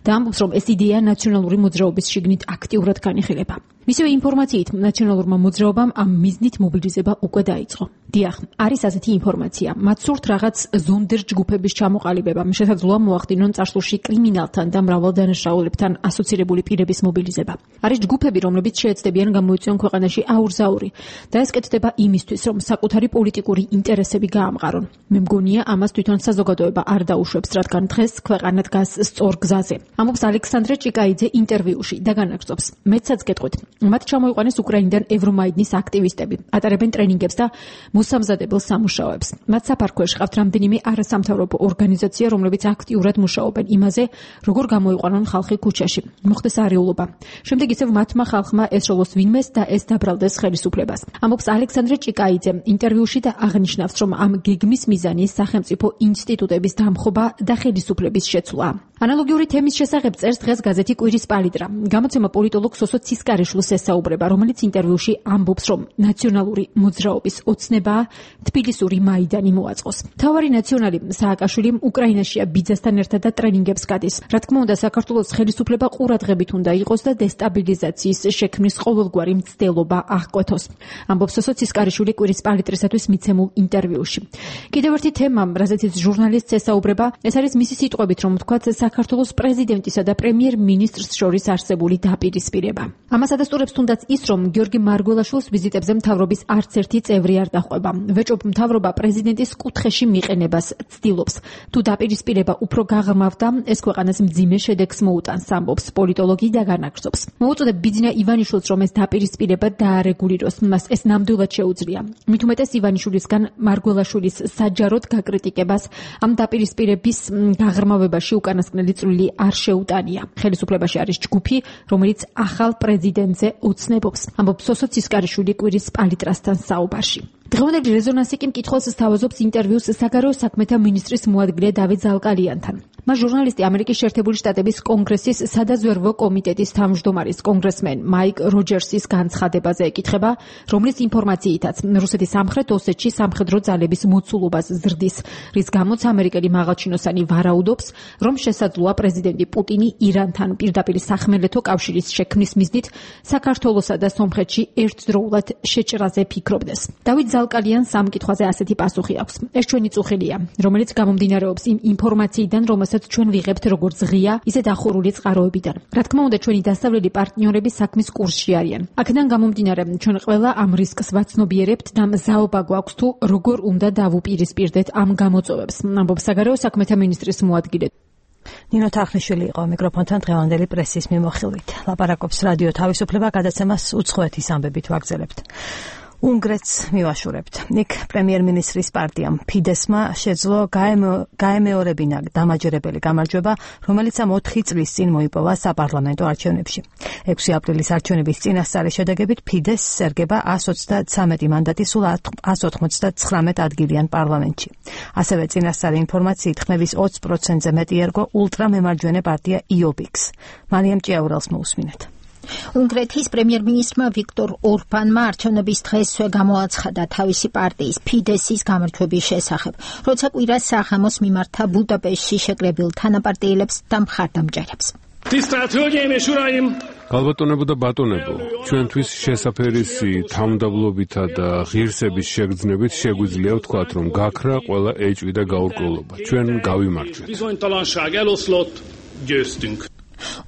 და ამბობს, რომ ეს იდეა ნაციონალური მოძრაობის შიგნით აქტიურად განიხილება. მისივე ინფორმაციით, ნაციონალურმა მოძრაობამ ამ მიზნით მობილიზება უკვე დაიწყო. დიახ, არის ასეთი ინფორმაცია. მათ სურთ რაღაც ზონდერ ჯგუფების ჩამოყალიბება, შესაძლოა მოახდინონ წარსულში კრიმინალთან და მრავალ დანაშაულებთან ასოცირებული პირების მობილიზება. არის ჯგუფები, რომლებიც შეეცდებიან გამოიწვიონ ქვეყანაში აურზაური და ეს კეთდება იმისთვის, რომ საკუთარი პოლიტიკური ინტერესები გაამყარონ. მე მგონია, ამას თვითონ საზოგადოება არ დაუშვებს, რადგან დღეს ქვეყანა დგას სწორ გზაზე. ამბობს ალექსანდრე ჭიკაიძე ინტერვიუში და განაგრძობს. მეცაც გეტყვით, მათ ჩამოიყვანეს უკრაინიდან ევრომაიდნის აქტივისტები, ატარებენ ტრენინგებს და მოსამზადებელ სამუშაოებს. მათ საფარქვეში ყავთ რამდენიმე არასამთავრობო ორგანიზაცია, რომლებიც აქტიურად მუშაობენ იმაზე, როგორ გამოიყვანონ ხალხი ქუჩაში. მოხდეს არეულობა. შემდეგ ისევ მათმა ხალხმა ესროლოს ვინმეს და ეს დაბრალდეს ხელისუფლებას. ამბობს ალექსანდრე ჭიკაიძე ინტერვიუში და აღნიშნავს, რომ ამ გეგმის მიზანი სახელმწიფო ინსტიტუტების დამხობა და ხელისუფლების შეცვლა. ანალოგიური თემის შესახებ წერს დღეს გაზეთი კვირის პალიტრა. გამოცემა პოლიტოლოგ სოსო ცისკარიშვილს ესაუბრება, რომელიც ინტერვიუში ამბობს, რომ ნაციონალური მოძრაობის ოცნებაა თბილისური მაიდანი მოაწყოს. მთავარი ნაციონალი სააკაშვილი უკრაინაშია ბიძასთან ერთად და ტრენინგებს გადის. რა თქმა უნდა, საქართველოს ხელისუფლება ყურადღებით უნდა იყოს და დესტაბილიზაციის შექმნის ყოველგვარი მცდელობა აღკვეთოს. ამბობს სოსო ცისკარიშვილი კვირის პალიტრისათვის მიცემულ ინტერვიუში. კიდევ ერთი თემა, რაზეც ჟურნალისტს ესაუბრება, ეს არის მისი სიტყვებით, რომ თქვათ საქართველოს პრეზიდენტისა და პრემიერ-მინისტრს შორის არსებული დაპირისპირება. ამას ადასტურებს თუნდაც ის, რომ გიორგი მარგველაშვილს ვიზიტებზე მთავრობის არც ერთი წევრი არ დაჰყვება. ვეჭობ, მთავრობა პრეზიდენტის კუთხეში მიყენებას ცდილობს. თუ დაპირისპირება უფრო გაღრმავდა, ეს ქვეყანას მძიმე შედეგს მოუტანს, ამბობს პოლიტოლოგი და განაგრძობს. მოუწოდებ ბიძინა ივანიშვილს, რომ ეს დაპირისპირება დაარეგულიროს, მას ეს ნამდვილად შეუძლია. მით უმეტეს ივანიშვილისგან მარგველაშვილის საჯაროდ გაკრიტიკებას ამ დაპირისპირების გაღრმავებაში უკანასკნელი წვლილი არ შეუტანია. ხელისუფლებაში არის ჯგუფი, რომელიც ახალ პრეზიდენტზე ოცნებობს. ამბობს სოსო ცისკარიშვილი კვირის პალიტრასთან საუბარში. დღევანდელი რეზონანსი კი მკითხველს სთავაზობს ინტერვიუს საგარეო საქმეთა მინისტრის მოადგილე დავით ზალკალიანთან. მას ჟურნალისტი ამერიკის შეერთებული შტატების კონგრესის სადაზვერვო კომიტეტის თავმჯდომარის კონგრესმენ მაიკ როჯერსის განცხადებაზე ეკითხება, რომლის ინფორმაციითაც რუსეთის სამხრეთ ოსეთში სამხედრო ძალების მოცულობას ზრდის, რის გამოც ამერიკელი მაღალჩინოსანი ვარაუდობს, რომ შესაძლოა პრეზიდენტი პუტინი ირანთან პირდაპირ სახმელეთო კავშირის შექმნის მიზნით საქართველოსა და სომხეთში ერთდროულად შეჭრაზე ფიქრობდეს. დავით ზალკალიანს ამ კითხვაზე ასეთი პასუხი აქვს. ეს ჩვენი წუხილია, რომელიც გამომდინარეობს იმ ინფორმაციიდან, რომელსაც ჩვენ ვიღებთ როგორც ღია, ისე დახურული წყაროებიდან. რა თქმა უნდა, ჩვენი დასავლელი პარტნიორები საქმის კურსში არიან. აქედან გამომდინარე, ჩვენ ყველა ამ რისკს ვაცნობიერებთ და მზაობა გვაქვს თუ როგორ უნდა დავუპირისპირდეთ ამ გამოწვევებს, ამბობს საგარეო საქმეთა მინისტრის მოადგილე. ნინო თარხნიშვილი იყო მიკროფონთან დღევანდელი პრესის მიმოხილვით. ლაპარაკობს რადიო თავისუფლება, გადაცემას უცხოეთის ამბებით ვაგრძელებთ. უნგრეთს მივაშურებთ. იქ პრემიერ-მინისტრის პარტიამ ფიდესმა შეძლო გაემეორებინა დამაჯერებელი გამარჯვება, რომელიც ამ ოთხი წლის წინ მოიპოვა საპარლამენტო არჩევნებში. ექვსი აპრილის არჩევნების წინასწარი შედეგებით ფიდესს ერგება εκατს ოცდათრამეტი მანდატი სულ εκατს ოცდათცხრამეტ ადგილიან პარლამენტში. ასევე წინასწარი ინფორმაციით ხმების ოცი პროცენტზე მეტი ერგო ულტრამემარჯვენე პარტია იობიქს. მარიამ ჭიაურელს მოусმინეთ. უნგრეთის პრემიერ-მინისტრმა ვიქტორ ორბანმა არჩევნების დღესვე გამოაცხადა თავისი პარტიის ფიდესის გამარჯვების შესახებ, როცა კვირას საღამოს მიმართა ბუდაპეშტში შეკრებილ თანაპარტიელებს და მხარდამჭერებს. ალბათონებო და ბატონებო, ჩვენთვის შესაფერისი თავმდაბლობითა და ღირსების შეგრძნებით შეგვიძლია ვთქვათ, რომ გაქრა ყველა ეჭვი და გაურკვევლობა. ჩვენ გავიმარჯვეთ.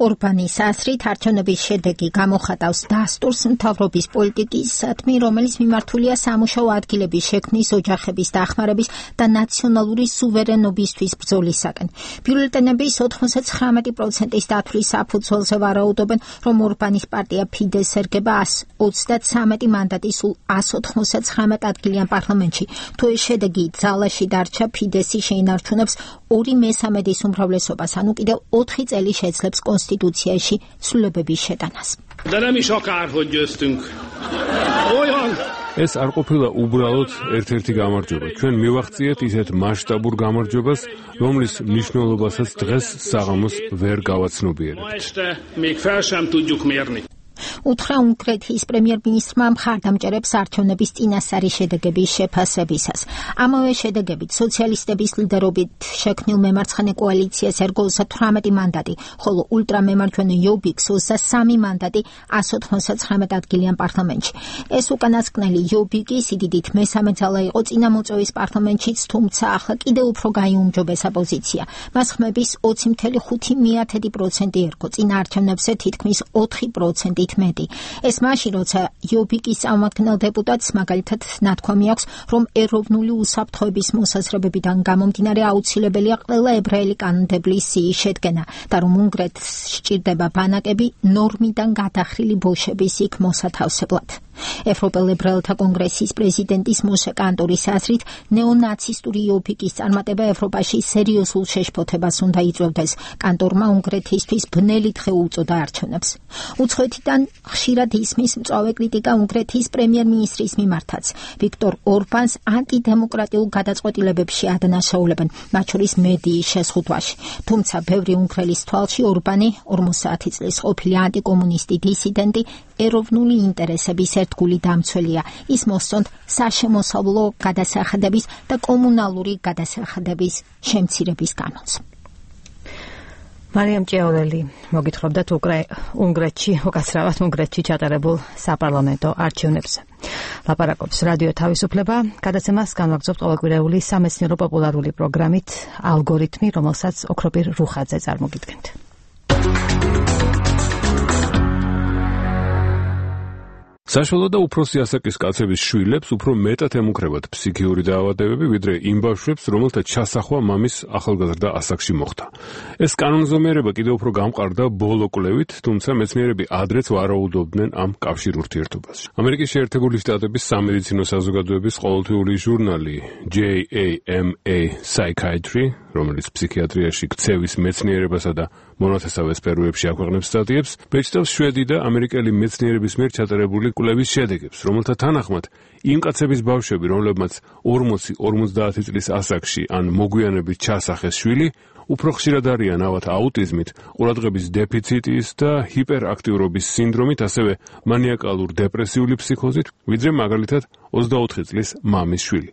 ორბანის ასრით არჩევნების შედეგი გამოხატავს დასტურს მთავრობის პოლიტიკისადმი, რომელიც მიმართულია სამუშაო ადგილების შექმნის, ოჯახების დახმარების და ნაციონალური სუვერენობისთვის ბრძოლისაკენ. ბიულეტენების ოთხმოცდათხრამეტი პროცენტის დათვლის საფუძველზე ვარაუდობენ, რომ ორბანის პარტია ფიდეს ერგება ასი ოცდათვრამეტი მანდატი სულ ასი ოთხმოცდათხრამეტ ადგილიან პარლამენტში. თუ ეს შედეგი ძალაში დარჩა, ფიდესი შეინარჩუნებს ორი მესამედის უმრავლესობას, ანუ კიდევ ოთხი წელი შეძლებს კონსტიტუციაში ცვლილებების შეტანას. ეს არ ყოფილა უბრალოდ ერთ-ერთი გამარჯვება. ჩვენ მივახციეთ ისეთ მასშტაბურ გამარჯვებას, რომლის მნიშვნელობასაც დღეს საღამოს ვერ გავაცნობიერებთ. უთხრა უნგრეთის პრემიერ-მინისტრმა მხარდამჭერებს არჩევნების წინასწარი შედეგების შეფასებისას. ამავე შედეგებით სოციალისტების ლიდერობით შექმნილ მემარცხენე კოალიციას ერგო ოცდათვრამეტი მანდატი, ხოლო ულტრამემარჯვენე იობიქს ოცდასამი მანდატი ასი ოცდათვრამეტ ადგილიან პარლამენტში. ეს უკანასკნელი იობიკი სიდიდით მესამე ძალა იყო წინამოწევის პარლამენტშიც, თუმცა ახლა კიდევ უფრო გაიუმჯობესა პოზიცია. მას ხმების ოცი კoma ხუთი პროცენტი ერგო, წინა არჩევნებზე თითქმის ოთხი პროცენტით მეტი. ეს მაშინ, როცა იობიკის წარმომადგენელ დეპუტატს მაგალითად ნათქვამი აქვს, რომ ეროვნული უსაფრთხოების მოსაზრებებიდან გამომდინარე აუცილებელია ყველა ებრაელი კანონმდებლის სიის შედგენა და რომ უნგრეთს სჭირდება ბანაკები ნორმიდან გადახრილი ბოშების იქ მოსათავსებლად. ევროპელ ებრაელთა კონგრესის პრეზიდენტის მოსე კანტორის აზრით, ნეონაცისტური იობიკის წარმატება ევროპაში სერიოზულ შეშფოთებას უნდა იწვევდეს. კანტორმა უნგრეთისთვის ბნელი დღე უწოდა არჩევნებს. უცხოეთიდან ხშირად ისმის მწვავე კრიტიკა უნგრეთის პრემიერ-მინისტრის მიმართაც. ვიქტორ ორბანს ანტიდემოკრატიულ გადაწყვეტილებებში ადანაშაულებენ, მათ შორის მედიის შეზღუდვაში. თუმცა ბევრი უნგრელის თვალში ორბანი ორმოცდაათი წლის ყოფილი ანტიკომუნისტი დისიდენტი ეროვნული ინტერესების ერთგული დამცველია. ის მოსწონთ საშემოსავლო გადასახადების და კომუნალური გადასახადების შემცირების კანონს. მარიამ ჭეოლელი მოგითხრობდათ უნგრეთში, უკაცრავად უნგრეთში ჩატარებულ საპარლამენტო არჩევნებზე. ლაპარაკობს რადიო თავისუფლება, გადაცემას განვაგრძობთ ყოველკვირეული სამეცნიერო პოპულარული პროგრამით ალგორითმი, რომელსაც ოქროპირ რუხაძე წარმოგიდგენთ. საშუალო და უფროსი ასაკის კაცების შვილებს უფრო მეტად ემუქრებათ ფსიქიური დაავადებები, ვიდრე იმ ბავშვებს, რომელთა ჩასახვა მამის ახალგაზრდა ასაკში მოხდა. ეს კანონზომიერება კიდევ უფრო გამყარდა ბოლო კვლევით, თუმცა მეცნიერები ადრეც ვარაუდობდნენ ამ კავშირ ურთიერთობას. ამერიკის შეერთებული შტატების სამედიცინო საზოგადოების ყოველთვიური ჟურნალი J A M A Psychiatry, რომელიც ფსიქიატრიაში ქცევის მეცნიერებასა და მონათესავე სფეროებში აქვეყნებს სტატიებს, ბეჭდავს შვედი და ამერიკელი მეცნიერების მიერ ჩატარებული კვლევის შედეგებს, რომელთა თანახმად იმ კაცების ბავშვები, რომლებმაც ორმოცი ორმოცდაათი წლის ასაკში ან მოგვიანებით ჩასახეს შვილი, უფრო ხშირად არიან ავად აუტიზმით, ყურადღების დეფიციტის და ჰიპერაქტიურობის სინდრომით, ასევე მანიაკალურ დეპრესიული ფსიქოზით, ვიდრე მაგალითად ოცდაოთხი წლის მამის შვილი.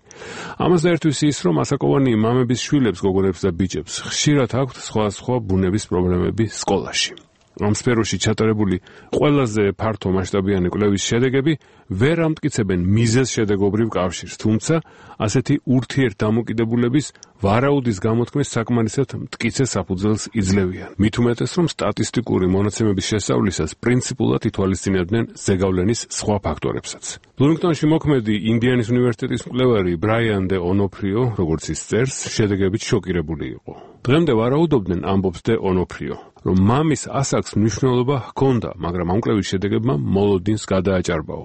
ამას დაერთვის ის, რომ ასაკოვანი მამების შვილებს, გოგონებს და ბიჭებს ხშირად აქვთ სხვადასხვა ბუნების პრობლემები სკოლაში. ამ სფეროში ჩატარებული ყველაზე ფართო მასშტაბიანი კვლევის შედეგები ვერ ამტკიცებენ მიზეზ შედეგობრივ კავშირს, თუმცა ასეთი ურთიერთდამოკიდებულების ვარაუდის გამოთქმის საკმარისად მტკიცე საფუძველს იძლევიან. მით უმეტეს, რომ სტატისტიკური მონაცემების შესწავლისას პრინციპულად ითვალისწინებდნენ ზეგავლენის სხვა ფაქტორებსაც. ბლუმინგტონში მოქმედი ინდიანის უნივერსიტეტის მკვლევარი ბრაიან დე ონოფრიო, როგორც ის წერს, შედეგებით შოკირებული იყო. დღემდე ვარაუდობდნენ, ამბობს დე ონოფრიო, რომ მამის ასაკს მნიშვნელობა ჰქონდა, მაგრამ ამ კვლევის შედეგებმა მოლოდინს გადააჭარბაო.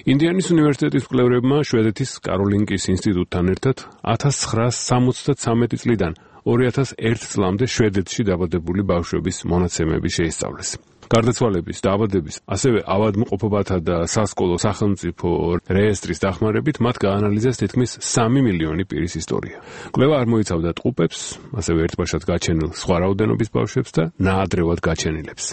ინდიანის უნივერსიტეტის მკვლევრებმა შვედეთის კაროლინკის ინსტიტუტთან ერთად ათას ცხრაასი სამოცდათვრამეტი წლიდან ორი ათას ერთი წლამდე შვედეთში დაბადებული ბავშვების მონაცემები შეისწავლეს. გარდაცვალების, დაავადების, ასევე ავადმყოფობათა და სასკოლო სახელმწიფო რეესტრის დახმარებით მათ გაანალიზეს თითქმის სამი მილიონი პირის ისტორია. კვლევა არ მოიცავდა ტყუპებს, ასევე ერთბაშად გაჩენილ სხვა რაოდენობის ბავშვებს და ნაადრევად გაჩენილებს.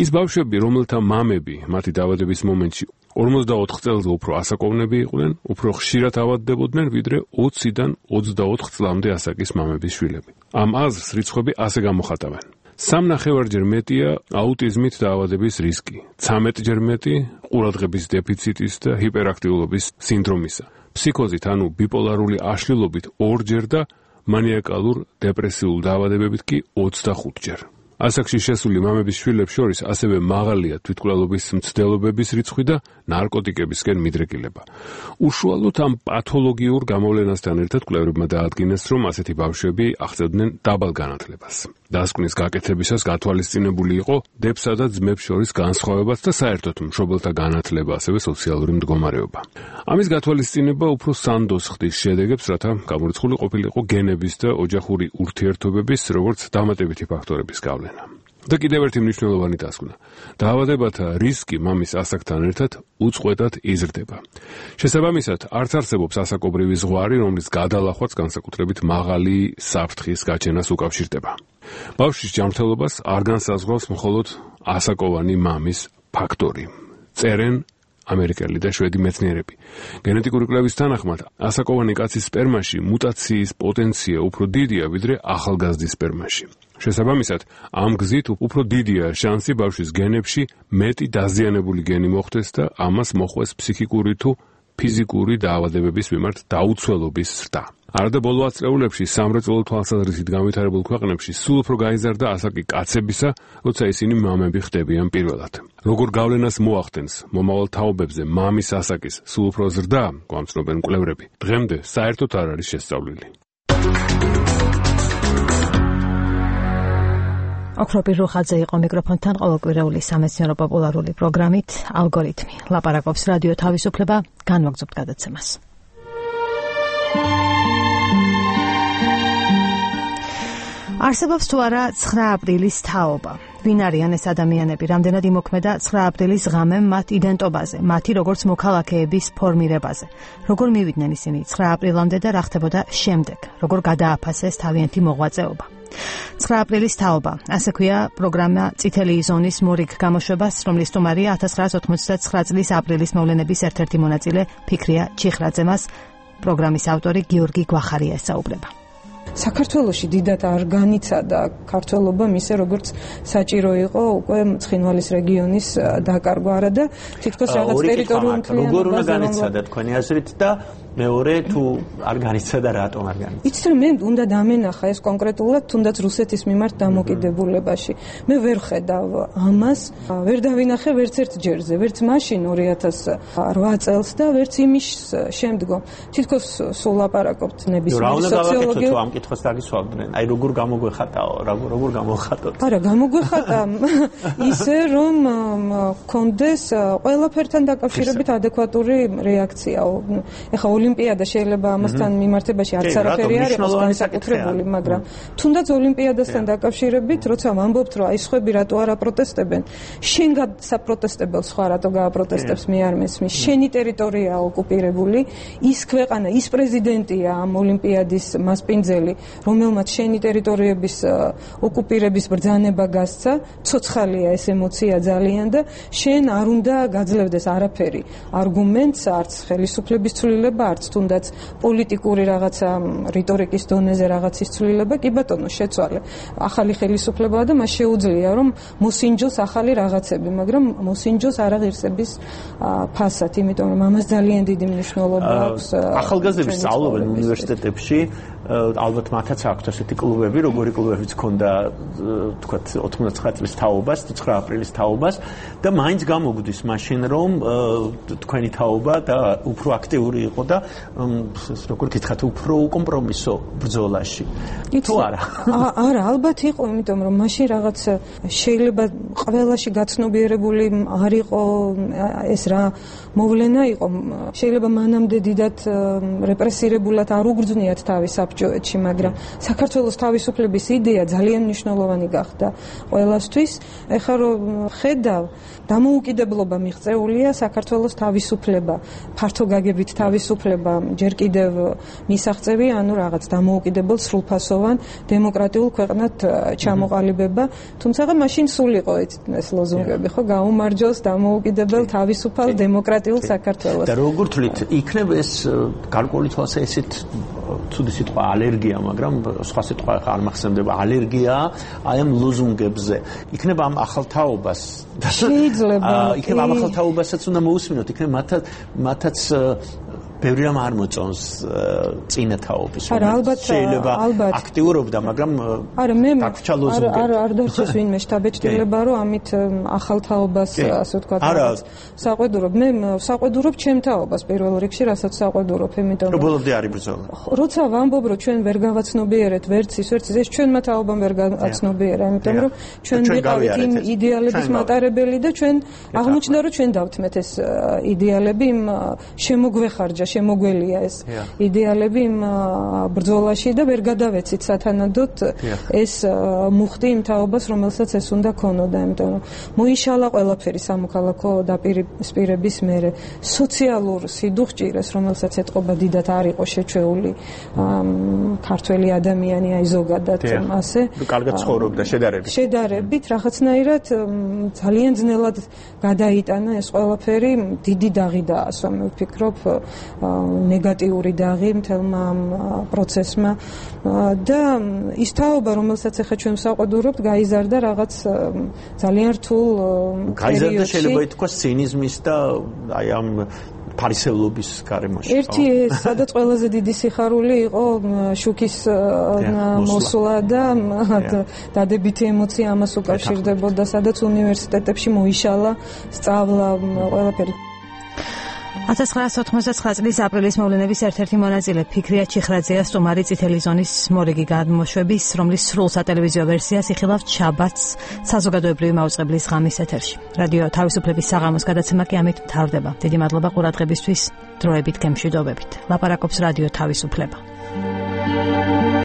ის ბავშვები, რომელთა მამები მათი დაავადების მომენტში ორმოცდაოთხ წელზე უფრო ასაკოვნები იყვნენ, უფრო ხშირად ავადდებოდნენ, ვიდრე ოციდან ოცდაოთხ წლამდე ასაკის მამების შვილები. ამ აზრს რიცხვები ასე გამოხატავენ. სამნახევარჯერ მეტია აუტიზმით დაავადების რისკი, ცამეტჯერ მეტი ყურადღების დეფიციტის და ჰიპერაქტიულობის სინდრომისა, ფსიქოზით ანუ ბიპოლარული აშლილობით ორჯერ და მანიაკალურ დეპრესიულ დაავადებებით კი ოცდახუთჯერ. ასაკში შესული მამების შვილებს შორის ასევე მაღალია თვითმკვლელობის მცდელობების რიცხვი და ნარკოტიკებისკენ მიდრეკილება. უშუალოდ ამ პათოლოგიურ გამოვლენასთან ერთად კვლევრებმა დაადგინეს, რომ ასეთი ბავშვები აღწევდნენ დაბალ განათლებას. დასკვნის გაკეთებისას გათვალისწინებული იყო დებსა და ძმებს შორის განსხვავებაც და საერთოდ მშობელთა განათლება, ასევე სოციალური მდგომარეობა. ამის გათვალისწინება უფრო სანდოს ხდის შედეგებს, რათა გამორიცხული ყოფილიყო გენების და ოჯახური ურთიერთობების, როგორც დამატებითი ფაქტორების გავლენა. და კიდევ ერთი მნიშვნელოვანი დასკვნა. დაავადებათა რისკი მამის ასაკთან ერთად უწყვეტად იზრდება. შესაბამისად, არც არსებობს ასაკობრივი ზღვარი, რომლის გადალახვაც განსაკუთრებით მაღალი საფრთხის გაჩენას უკავშირდება. ბავშვის ჯანმრთელობას არ განსაზღვრავს მხოლოდ ასაკოვანი მამის ფაქტორი. წერენ ამერიკელი და შვედი მეცნიერები. გენეტიკური კვლევის თანახმად, ასაკოვანი კაცის სპერმაში მუტაციის პოტენცია უფრო დიდია, ვიდრე ახალგაზრდის სპერმაში. შესაბამისად, ამ გზით უფრო დიდია შანსი ბავშვის გენებში მეტი დაზიანებული გენი მოხვდეს და ამას მოხვეს ფსიქიკური თუ ფიზიკური დაავადებების მიმართ დაუცველობის ზრდა. არადა ბოლო ათწლეულებში სამრეწველო თვალსაზრისით განვითარებულ ქვეყნებში სულ უფრო გაიზარდა ასაკი კაცებისა, როცა ისინი მამები ხდებიან პირველად. როგორ გავლენას მოახდენს მომავალ თაობებზე მამის ასაკის სულ უფრო ზრდა, გვამცნობენ კვლევრები, დღემდე საერთოდ არ არის შესწავლილი. ოქროპირ რუხაძე იყო მიკროფონთან ყოველკვირეული სამეცნიერო პოპულარული პროგრამით ალგორითმი. ლაპარაკობს რადიო თავისუფლება, განვაგრძობთ გადაცემას. არსებობს თუ არა ცხრა აპრილის თაობა. ვინ არიან ეს ადამიანები, რამდენად იმოქმედა ცხრა აპრილის ღამე მათ იდენტობაზე, მათი როგორც მოქალაქეების ფორმირებაზე. როგორ მივიდნენ ისინი ცხრა აპრილამდე და რა ხდებოდა შემდეგ, როგორ გადააფასეს თავიანთი მოღვაწეობა. ცხრა აპრილის თაობა, ასე ქვია პროგრამა წითელი ზონის მორიგ გამოშვებას, რომლის სტუმარია ათას ცხრაას ოთხმოცდათსცხრა წლის აპრილის მოვლენების ერთ-ერთი მონაწილე ფიქრია ჩიხრაძე. მას პროგრამის ავტორი გიორგი გვახარია ესაუბრება. საქართველოში დიდად არ განიცადა ქართველობა მისე როგორც საჭირო იყო უკვე ცხინვალის რეგიონის დაკარგვა არა და თითქოს რაღაც ტერიტორიულ მთლიანობას როგორ უნდა განიცადა თქვენი აზრით და მეორე თუ არ განიცადა რატომ არ განიცადა? იცით რომ მე უნდა დამენახა ეს კონკრეტულად თუნდაც რუსეთის მიმართ დამოკიდებულებაში. მე ვერ ხედავ ამას, ვერ დავინახე ვერც ერთ ჯერზე, ვერც მაშინ ორი ათას რვა წელს და ვერც იმის შემდგომ. თითქოს სულ ლაპარაკობთ ნებისმიერი სოციოლოგია. ამ კითხვას დაგისვამდნენ. აი როგორ გამოგვეხატაო, როგორ გამოხატოთ? არა, გამოგვეხატა ისე რომ კონდეს ყველაფერთან დაკავშირებით ადეკვატური რეაქცია. ეხა ოლიმპიადა შეიძლება ამასთან მიმართებაში არც არაფერი არ იყოს განსაკუთრებული, მაგრამ თუნდაც ოლიმპიადასთან დაკავშირებით, როცა ვამბობთ, რომ აი სხვები რატო არ აპროტესტებენ, შენ გასაპროტესტებელ სხვა რატო გააპროტესტებს, მე არ მესმის. შენი ტერიტორია ოკუპირებული, ის ქვეყანა, ის პრეზიდენტია ამ ოლიმპიადის მასპინძელი, რომელმაც შენი ტერიტორიების ოკუპირების ბრძანება გასცა, ცოცხალია ეს ემოცია ძალიან და შენ არ უნდა გაძლევდეს არაფერი არგუმენტს, არც ხელისუფლების ცვლილება, არც თუნდაც პოლიტიკური რაღაცა რიტორიკის დონეზე რაღაცის ცვლილება, კი ბატონო, შეცვალე. ახალი ხელისუფლებაა და მას შეუძლია რომ მოსინჯოს ახალი რაღაცები, მაგრამ მოსინჯოს არაღირსების ფასად, იმიტომ რომ ამას ძალიან დიდი მნიშვნელობა აქვს. ახალგაზრდები სწავლობენ უნივერსიტეტებში, ალბათ მათაც აქვთ ასეთი კლუბები, როგორი კლუბებიც ქონდა, თქვათ, ოთხმოცდათცხრა წლის თაობას, ცხრა აპრილის თაობას და მაინც გამოგვდის მაშინ რომ თქვენი თაობა და უფრო აქტიური იყო და როგორ გითხრათ, უფრო უკომპრომისო ბრძოლაში. თუ არა? არა, ალბათ იყო, იმიტომ რომ მაშინ რაღაც შეიძლება ყველაში გაცნობიერებული არ იყო ეს რა მოვლენა იყო. შეიძლება მანამდე დიდად რეპრესირებულად არ უგრძნიათ თავის საბჭოეთში, მაგრამ საქართველოს თავისუფლების იდეა ძალიან მნიშვნელოვანი გახდა ყველასთვის. ეხლა რომ ხედავ, დამოუკიდებლობა მიღწეულია, საქართველოს თავისუფლება, ფართო გაგებით თავისუფლება ჯერ კიდევ მისაღწევი, ანუ რაღაც დამოუკიდებელ სრულფასოვან დემოკრატიულ ქვეყნად ჩამოყალიბება, თუმცა მაშინ სულ იყო ეს ლოზუნგები, ხო, გაუმარჯოს დამოუკიდებელ თავისუფალ დემოკრატიულ საქართველოს. და როგორ თვლით, იქნებ ეს გარკვეული თვალსაზრისით ცუდი სიტყვა სიტყვა ალერგია, მაგრამ სხვა სიტყვა არ მახსენდება ალერგია აი ამ ლოზუნგებზე. იქნება ამ ახალ თაობას შეიძლება იქნება ამ ახალ თაობასაც უნდა მოусმინოთ, იქნება მათაც მათაც ბევრი რამ არ მოწონს წინა თაობის. არა, ალბათ შეიძლება აქტიურობდა, მაგრამ არა მე დაგვრჩა ლოზუნგები. არ არ დარჩეს ვინმე შტაბეჭდილება, რომ ამით ახალ თაობას ასე ვთქვათ, საყვედურობ. მე საყვედურობ ჩემ თაობას პირველ რიგში, რასაც საყვედურობ, იმიტომ რომ ბოლომდე არის ბრძოლა. როცა ვამბობ, რომ ჩვენ ვერ გავაცნობიერეთ ვერც ის ვერც ის, ჩვენმა თაობამ ვერ გავაცნობიერა, იმიტომ რომ ჩვენ ვიყავით იმ იდეალების მატარებელი და ჩვენ აღმოჩნდა, რომ ჩვენ დავთმეთ ეს იდეალები იმ შემოგვეხარჯა შემოგველია ეს იდეალები იმ ბრძოლაში და ვერ გადავეცით სათანადოდ ეს მუხტი იმ თაობას, რომელსაც ეს უნდა ქონოდა, იმიტომ რომ მოიშალა ყველაფერი სამოქალაქო დაპირისპირების მერე სოციალურ სიდუხჭირეს, რომელსაც ეთყობა დიდად არ იყო შეჩეული ქართველი ადამიანი, აი ზოგადად ასე კარგად ცხოვრობდა შედარებით შედარებით რაღაცნაირად ძალიან ძნელად გადაიტანა ეს ყველაფერი, დიდი დაღი დაასვა, მე ვფიქრობ ნეგატიური დაღი მთელმა პროცესმა და ის თაობა, რომელსაც ახლა ჩვენ საყვედურობთ, გაიზარდა რაღაც ძალიან რთულ გაიზარდა შეიძლება ითქვას ცინიზმის და აი ამ ფარისევლობის გარემოში. ერთი ეს, სადაც ყველაზე დიდი სიხარული იყო შუქის მოსვლა და დადებითი ემოცია ამას უკავშირდებოდა, სადაც უნივერსიტეტებში მოიშალა სწავლა ყველაფერი. ათას ცხრაასი ოთხმოცდათცხრა წლის აპრილის მოვლენების ერთ-ერთი მონაწილე ფიქრია ჩიხრაძეა სტუმარი წითელი ზონის მორიგი გადმოშვების, რომლის სრულ სატელევიზიო ვერსიას იხილავთ შაბათს საზოგადოებრივი მაუწყებლის ღამის ეთერში. რადიო თავისუფლების საღამოს გადაცემა კი ამით მთავრდება. დიდი მადლობა ყურადღებისთვის, დროებით გემშვიდობებით. ლაპარაკობს რადიო თავისუფლება.